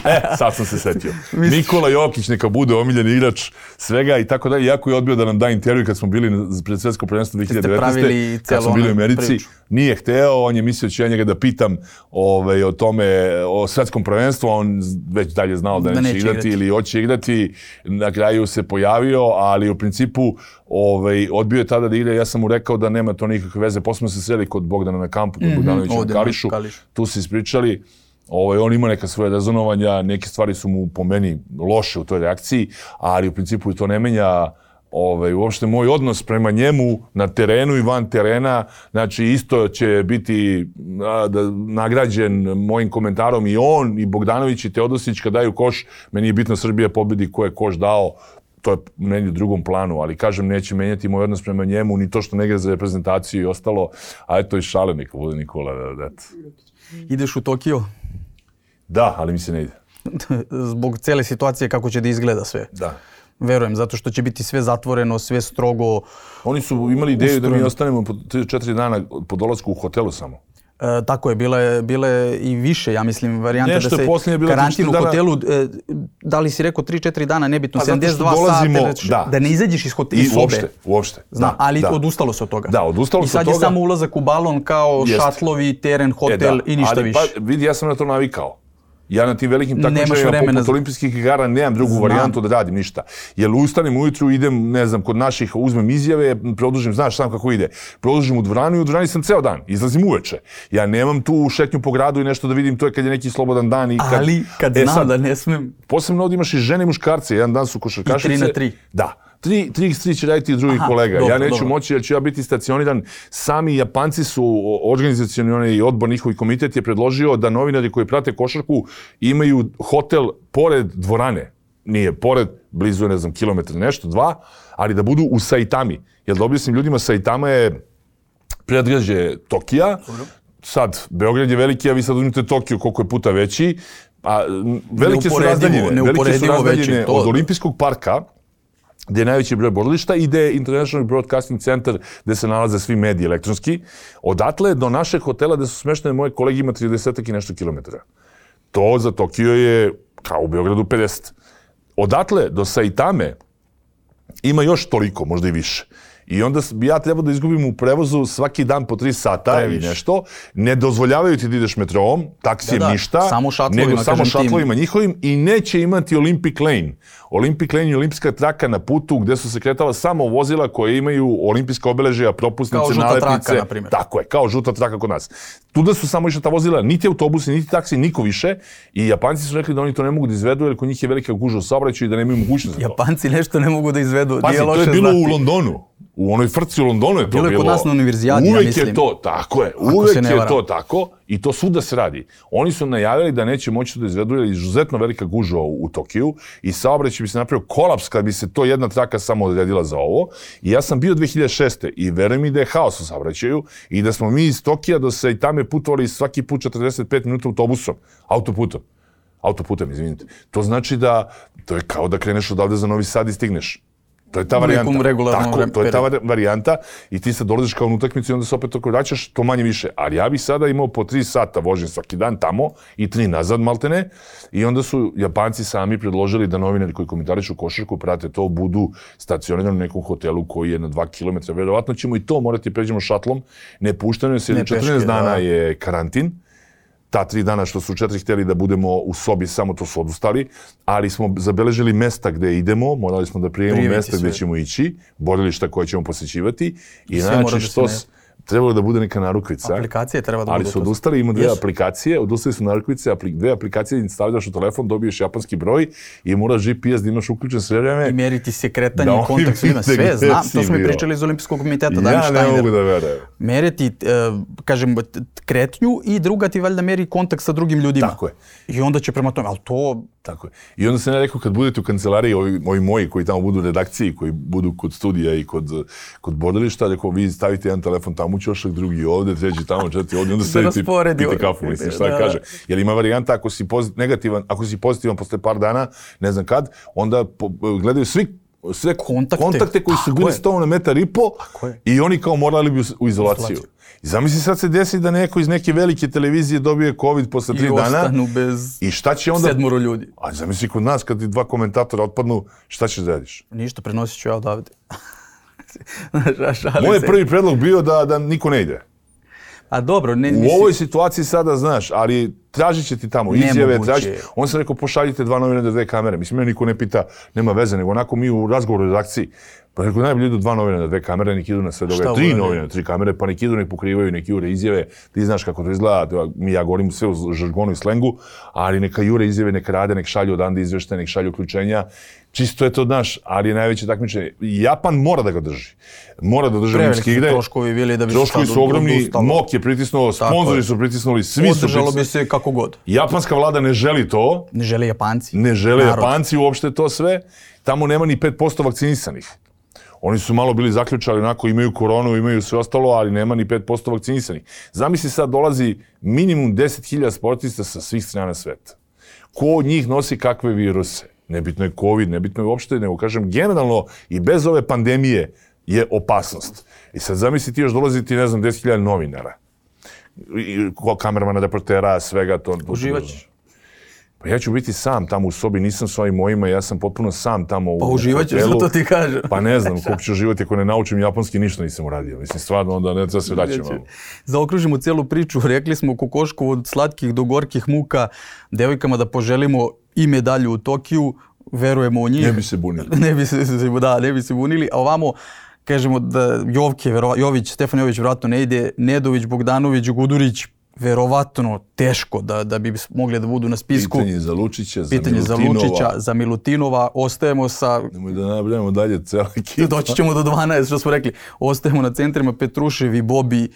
E, sad sam se setio. Nikola Jokić neka bude omiljeni igrač svega i tako dalje. Jako je odbio da nam da intervju kad smo bili pred svjetsko prvenstvo dve hiljade devetnaeste. Kad smo bili u Americi. Priču. Nije hteo, on je mislio da ću ja njega da pitam ovaj, o tome, o svjetskom prvenstvu, a on već dalje znao da, da neće igrati, igrati ili hoće igrati. Na kraju se pojavio, ali u principu ovaj, odbio je tada da igra. Ja sam mu rekao da nema to nikakve veze. Posle smo se sreli kod Bogdana na kampu, kod mm-hmm, Bogdanovića na Kališu. Kališ. Tu se ispričali. Ovaj, on ima neka svoje rezonovanja, neke stvari su mu po meni loše u toj reakciji, ali u principu to ne menja ovaj, uopšte moj odnos prema njemu na terenu i van terena. Znači isto će biti a, da, nagrađen mojim komentarom i on, i Bogdanović i Teodosić kad daju koš. Meni je bitno Srbija pobedi ko je koš dao. To je meni u drugom planu, ali kažem, neće menjati moj odnos prema njemu, ni to što ne igra za reprezentaciju i ostalo. A eto i šale neka bude Nikola. Da, da. Ideš u Tokio? Da, ali mi se ne ide. Zbog cele situacije kako će da izgleda sve. Da. Verujem, zato što će biti sve zatvoreno, sve strogo. Oni su imali ideju ustrojeno. Da mi ostanemo po tri četiri dana po dolasku u hotelu samo. E, tako je, bile, bile i više, ja mislim, varijante da se karantin u hotelu, e, da li si rekao tri četiri dana, nebitno, sedamdeset dva sata, da. da ne izađeš iz hotela, iz sobe. Uopšte, uopšte. Zna, da, ali da. odustalo se od toga. Da, odustalo se od toga. I sad je samo ulazak u balon kao Jest. šatlovi, teren, hotel e, i ništa ali, više. Pa, vidi, ja sam na to navikao. Ja na tim velikim takmičenjima poput za... olimpijskih igara nemam drugu Znam. varijantu da radim ništa. Jer ustanem ujutru, idem, ne znam, kod naših, uzmem izjave, produžim, znaš sam kako ide. Produžim u dvoranu i u dvorani sam ceo dan. Izlazim uveče. Ja nemam tu šetnju po gradu i nešto da vidim, to je kad je neki slobodan dan. I kad... Ali kad e, znam sad, da ne smem... Posebno ovdje imaš i žene i muškarce, jedan dan su košarkašice. I tri na tri. Da. tri iks tri će raditi drugi Aha, kolega. dobro, ja neću dobro. moći jer ću ja biti stacioniran. Sami Japanci su, organizacioni odbor, njihovi komitet je predložio da novinari koji prate košarku imaju hotel pored dvorane. Nije pored, blizu je, ne znam, kilometar nešto, dva, ali da budu u Saitami. Jer da objasnim ljudima, Saitama je predgrađe Tokija. Sad, Beograd je veliki, a vi sad uzmite Tokio koliko je puta veći. A velike su razdaljine, velike su razdaljine od Olimpijskog parka, gdje je najveći broj borilišta, i gdje je International Broadcasting Center, gdje se nalaze svi mediji elektronski. Odatle do našeg hotela gdje su smeštene moje kolege ima trideset i nešto kilometara. To za Tokio je kao u Beogradu pedeset. Odatle do Saitame ima još toliko, možda i više. I onda bi ja trebao da izgubim u prevozu svaki dan po tri sata ili nešto. Ne dozvoljavaju ti da ideš metroom, taksijem da, da. ništa, samo šatlovima, nego samo šatlovima njihovim, i neće imati Olympic Lane. Olympic Lane je olimpijska traka na putu gdje su se kretala samo vozila koje imaju olimpijska obeležja, propusnice, kao žuta nalepnice. Traka, na primjer. Tako je, kao žuta traka kod nas. Tuda su samo išla ta vozila, niti autobusi, niti taksi, niko više. I Japanci su rekli da oni to ne mogu da izvedu jer kod njih je velika gužva u saobraćaju i da nemaju mogućnost za to. Japanci nešto ne mogu da izvedu. Pazi, to je bilo u Londonu. U onoj frci u Londonu je to bilo. Bilo je kod nas na univerzijadi, ja mislim. mislim. Uvek je to, tako je, uvek je to tako i to svuda se radi. Oni su najavili da neće moći da izvedu jer je izuzetno velika gužva u, u Tokiju i saobraćaj bi se napravio kolaps kad bi se to jedna traka samo odredila za ovo. I ja sam bio dve hiljade šeste. i verujem mi da je haos u saobraćaju i da smo mi iz Tokija do Saitame putovali svaki put četrdeset pet minuta autobusom, autoputom. Autoputem, izvinite. To znači da, to je kao da kreneš odavde za Novi Sad i stigneš. To je ta varijanta. Tako, to je ta varijanta i ti sad dolaziš kao na utakmicu i onda se opet tako vraćaš, to manje više. Ali ja bih sada imao po tri sata vožnje svaki dan tamo i tri nazad maltene i onda su Japanci sami predložili da novinari koji komentarišu košarku prate to, budu stacionirani u nekom hotelu koji je na dva kilometra. Verovatno ćemo i to morati pređemo šatlom. Ne pušteno je, jer četrnaest dana je karantin. Ta tri dana što su četiri htjeli da budemo u sobi, samo to su odustali, ali smo zabeležili mesta gdje idemo, morali smo da prijemimo mesta gdje ćemo ići, borilišta koje ćemo posjećivati i znači što trebalo da bude neka narukvica. Aplikacije treba da bude. Ali su odustali, ima dve aplikacije, odustali su narukvice, dve aplikacije, stavljaš u telefon, dobiješ japanski broj i moraš G P S da imaš uključen sve vreme. I meriti se kretanje i kontakt svima. Sve, znam, to smo i pričali iz Olimpijskog komiteta. Ja ne mogu da verujem. Meriti, kažem, kretnju i druga ti valjda meri kontakt sa drugim ljudima. Tako je. I onda će prema tome, ali to... Tako je. I onda sam ja rekao, kad budete u kancelariji, ovi, ovi moji koji tamo budu u redakciji, koji budu kod studija i kod, kod borilišta, rekao, vi stavite jedan telefon tamo u ćošak, drugi ovdje, treći tamo, četiri ovdje, onda sedite i pite kafu, mislim, šta da kaže. Jer ima varijanta, ako si pozit, negativan, ako si pozitivan posle par dana, ne znam kad, onda po, gledaju svi sve kontakte, kontakte koji su bili s tobom na metar i po i oni kao morali bi u izolaciju. I zamisli sad se desi da neko iz neke velike televizije dobije COVID posle tri dana. I ostanu bez i šta će onda... sedmoro ljudi. A zamisli kod nas kad ti dva komentatora otpadnu, šta ćeš da radiš? Ništa, prenosit ću ja odavde. Moj prvi predlog bio da, da niko ne ide. A dobro, ne, u ovoj situaciji sada znaš, ali tražit će ti tamo izjave, tražit. On sam rekao, pošaljite dva novinara, dve kamere. Mislim, me niko ne pita, nema veze, nego onako mi u razgovoru u redakciji. Pa rekao, najbolje idu dva novinara, dve kamere, nek idu na sve događaje. Tri novinara, tri kamere, pa nek idu, nek pokrivaju, nek jure izjave. Ti znaš kako to izgleda, mi ja govorim sve u žargonu i slengu, ali neka jure izjave, nek rade, nek šalju odande izveštaje, nek šalju uključenja. Čisto je to, znaš, ali je najveće takmičenje. Japan mora da ga drži. Mora da drži olimpijske igre. Troškovi bili da bi troškovi su ogromni, M O K je pritisnuo, sponzori su pritisnuli, svi su pritisnuli. Održalo bi se kako god. Japanska vlada ne želi to. Ne žele Japanci. Ne žele Narod. Japanci uopšte to sve. Tamo nema ni pet posto vakcinisanih. Oni su malo bili zaključali, onako imaju koronu, imaju sve ostalo, ali nema ni pet posto vakcinisanih. Zamisli sad dolazi minimum deset hiljada sportista sa svih strana sveta. Ko od njih nosi kakve viruse? Nebitno je COVID, nebitno je uopšte, nego kažem, generalno i bez ove pandemije je opasnost. I sad zamisli ti još dolazi ti, ne znam, deset hiljada novinara. Kameramana, reportera, svega to. Uživat ćeš. Pa ja ću biti sam tamo u sobi, nisam s ovim mojima, ja sam potpuno sam tamo u hotelu. Pa uživat ćeš, to ti kažem. Pa ne znam, kako ću živati ako ne naučim japanski, ništa nisam uradio. Mislim, stvarno, onda ne treba se vraćam. Zaokružimo cijelu priču, rekli smo kokošku od slatkih do gorkih muka, devojkama da poželimo i medalju u Tokiju, verujemo u njih. Ne bi se bunili. Ne bi se, da, ne bi se bunili, a ovamo kažemo da Jovke, Jović, Stefan Jović vjerojatno ne ide, Nedović, Bogdanović, Gudurić, verovatno teško da, da bi mogli da budu na spisku. Pitanje za Lučića, za Pitanje za Milutinova. Lučića, za Milutinova. Ostajemo sa... Nemoj da nabrajamo dalje cela ekipa. Doći ćemo do dvanaest, što smo rekli. Ostajemo na centrima Petrušev i Bobi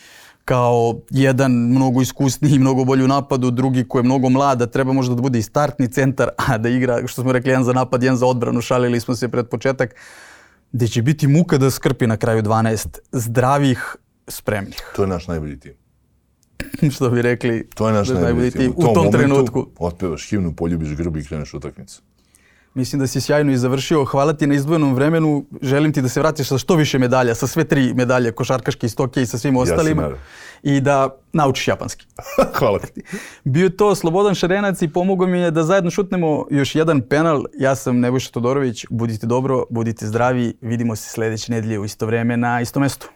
kao jedan mnogo iskusniji, mnogo bolji u napadu, drugi koji je mnogo mlad, da treba možda da bude i startni centar, a da igra, što smo rekli, jedan za napad, jedan za odbranu, šalili smo se pred početak, gde će biti muka da skrpi na kraju dvanaest zdravih, spremnih. To je naš najbolji tim. Što bi rekli, to je naš najbolji tim. U tom, tom trenutku. Otpevaš himnu, poljubiš grb i kreneš utakmicu. Mislim da si sjajno i završio. Hvala ti na izdvojenom vremenu. Želim ti da se vratiš sa što više medalja, sa sve tri medalje, košarkaške, stoke i sa svim ostalima. Ja I da naučiš japanski. Hvala ti. Bio je to Slobodan Šarenac i pomogao mi je da zajedno šutnemo još jedan penal. Ja sam Nebojša Todorović. Budite dobro, budite zdravi. Vidimo se sljedeće nedelje u isto vreme na istom mestu.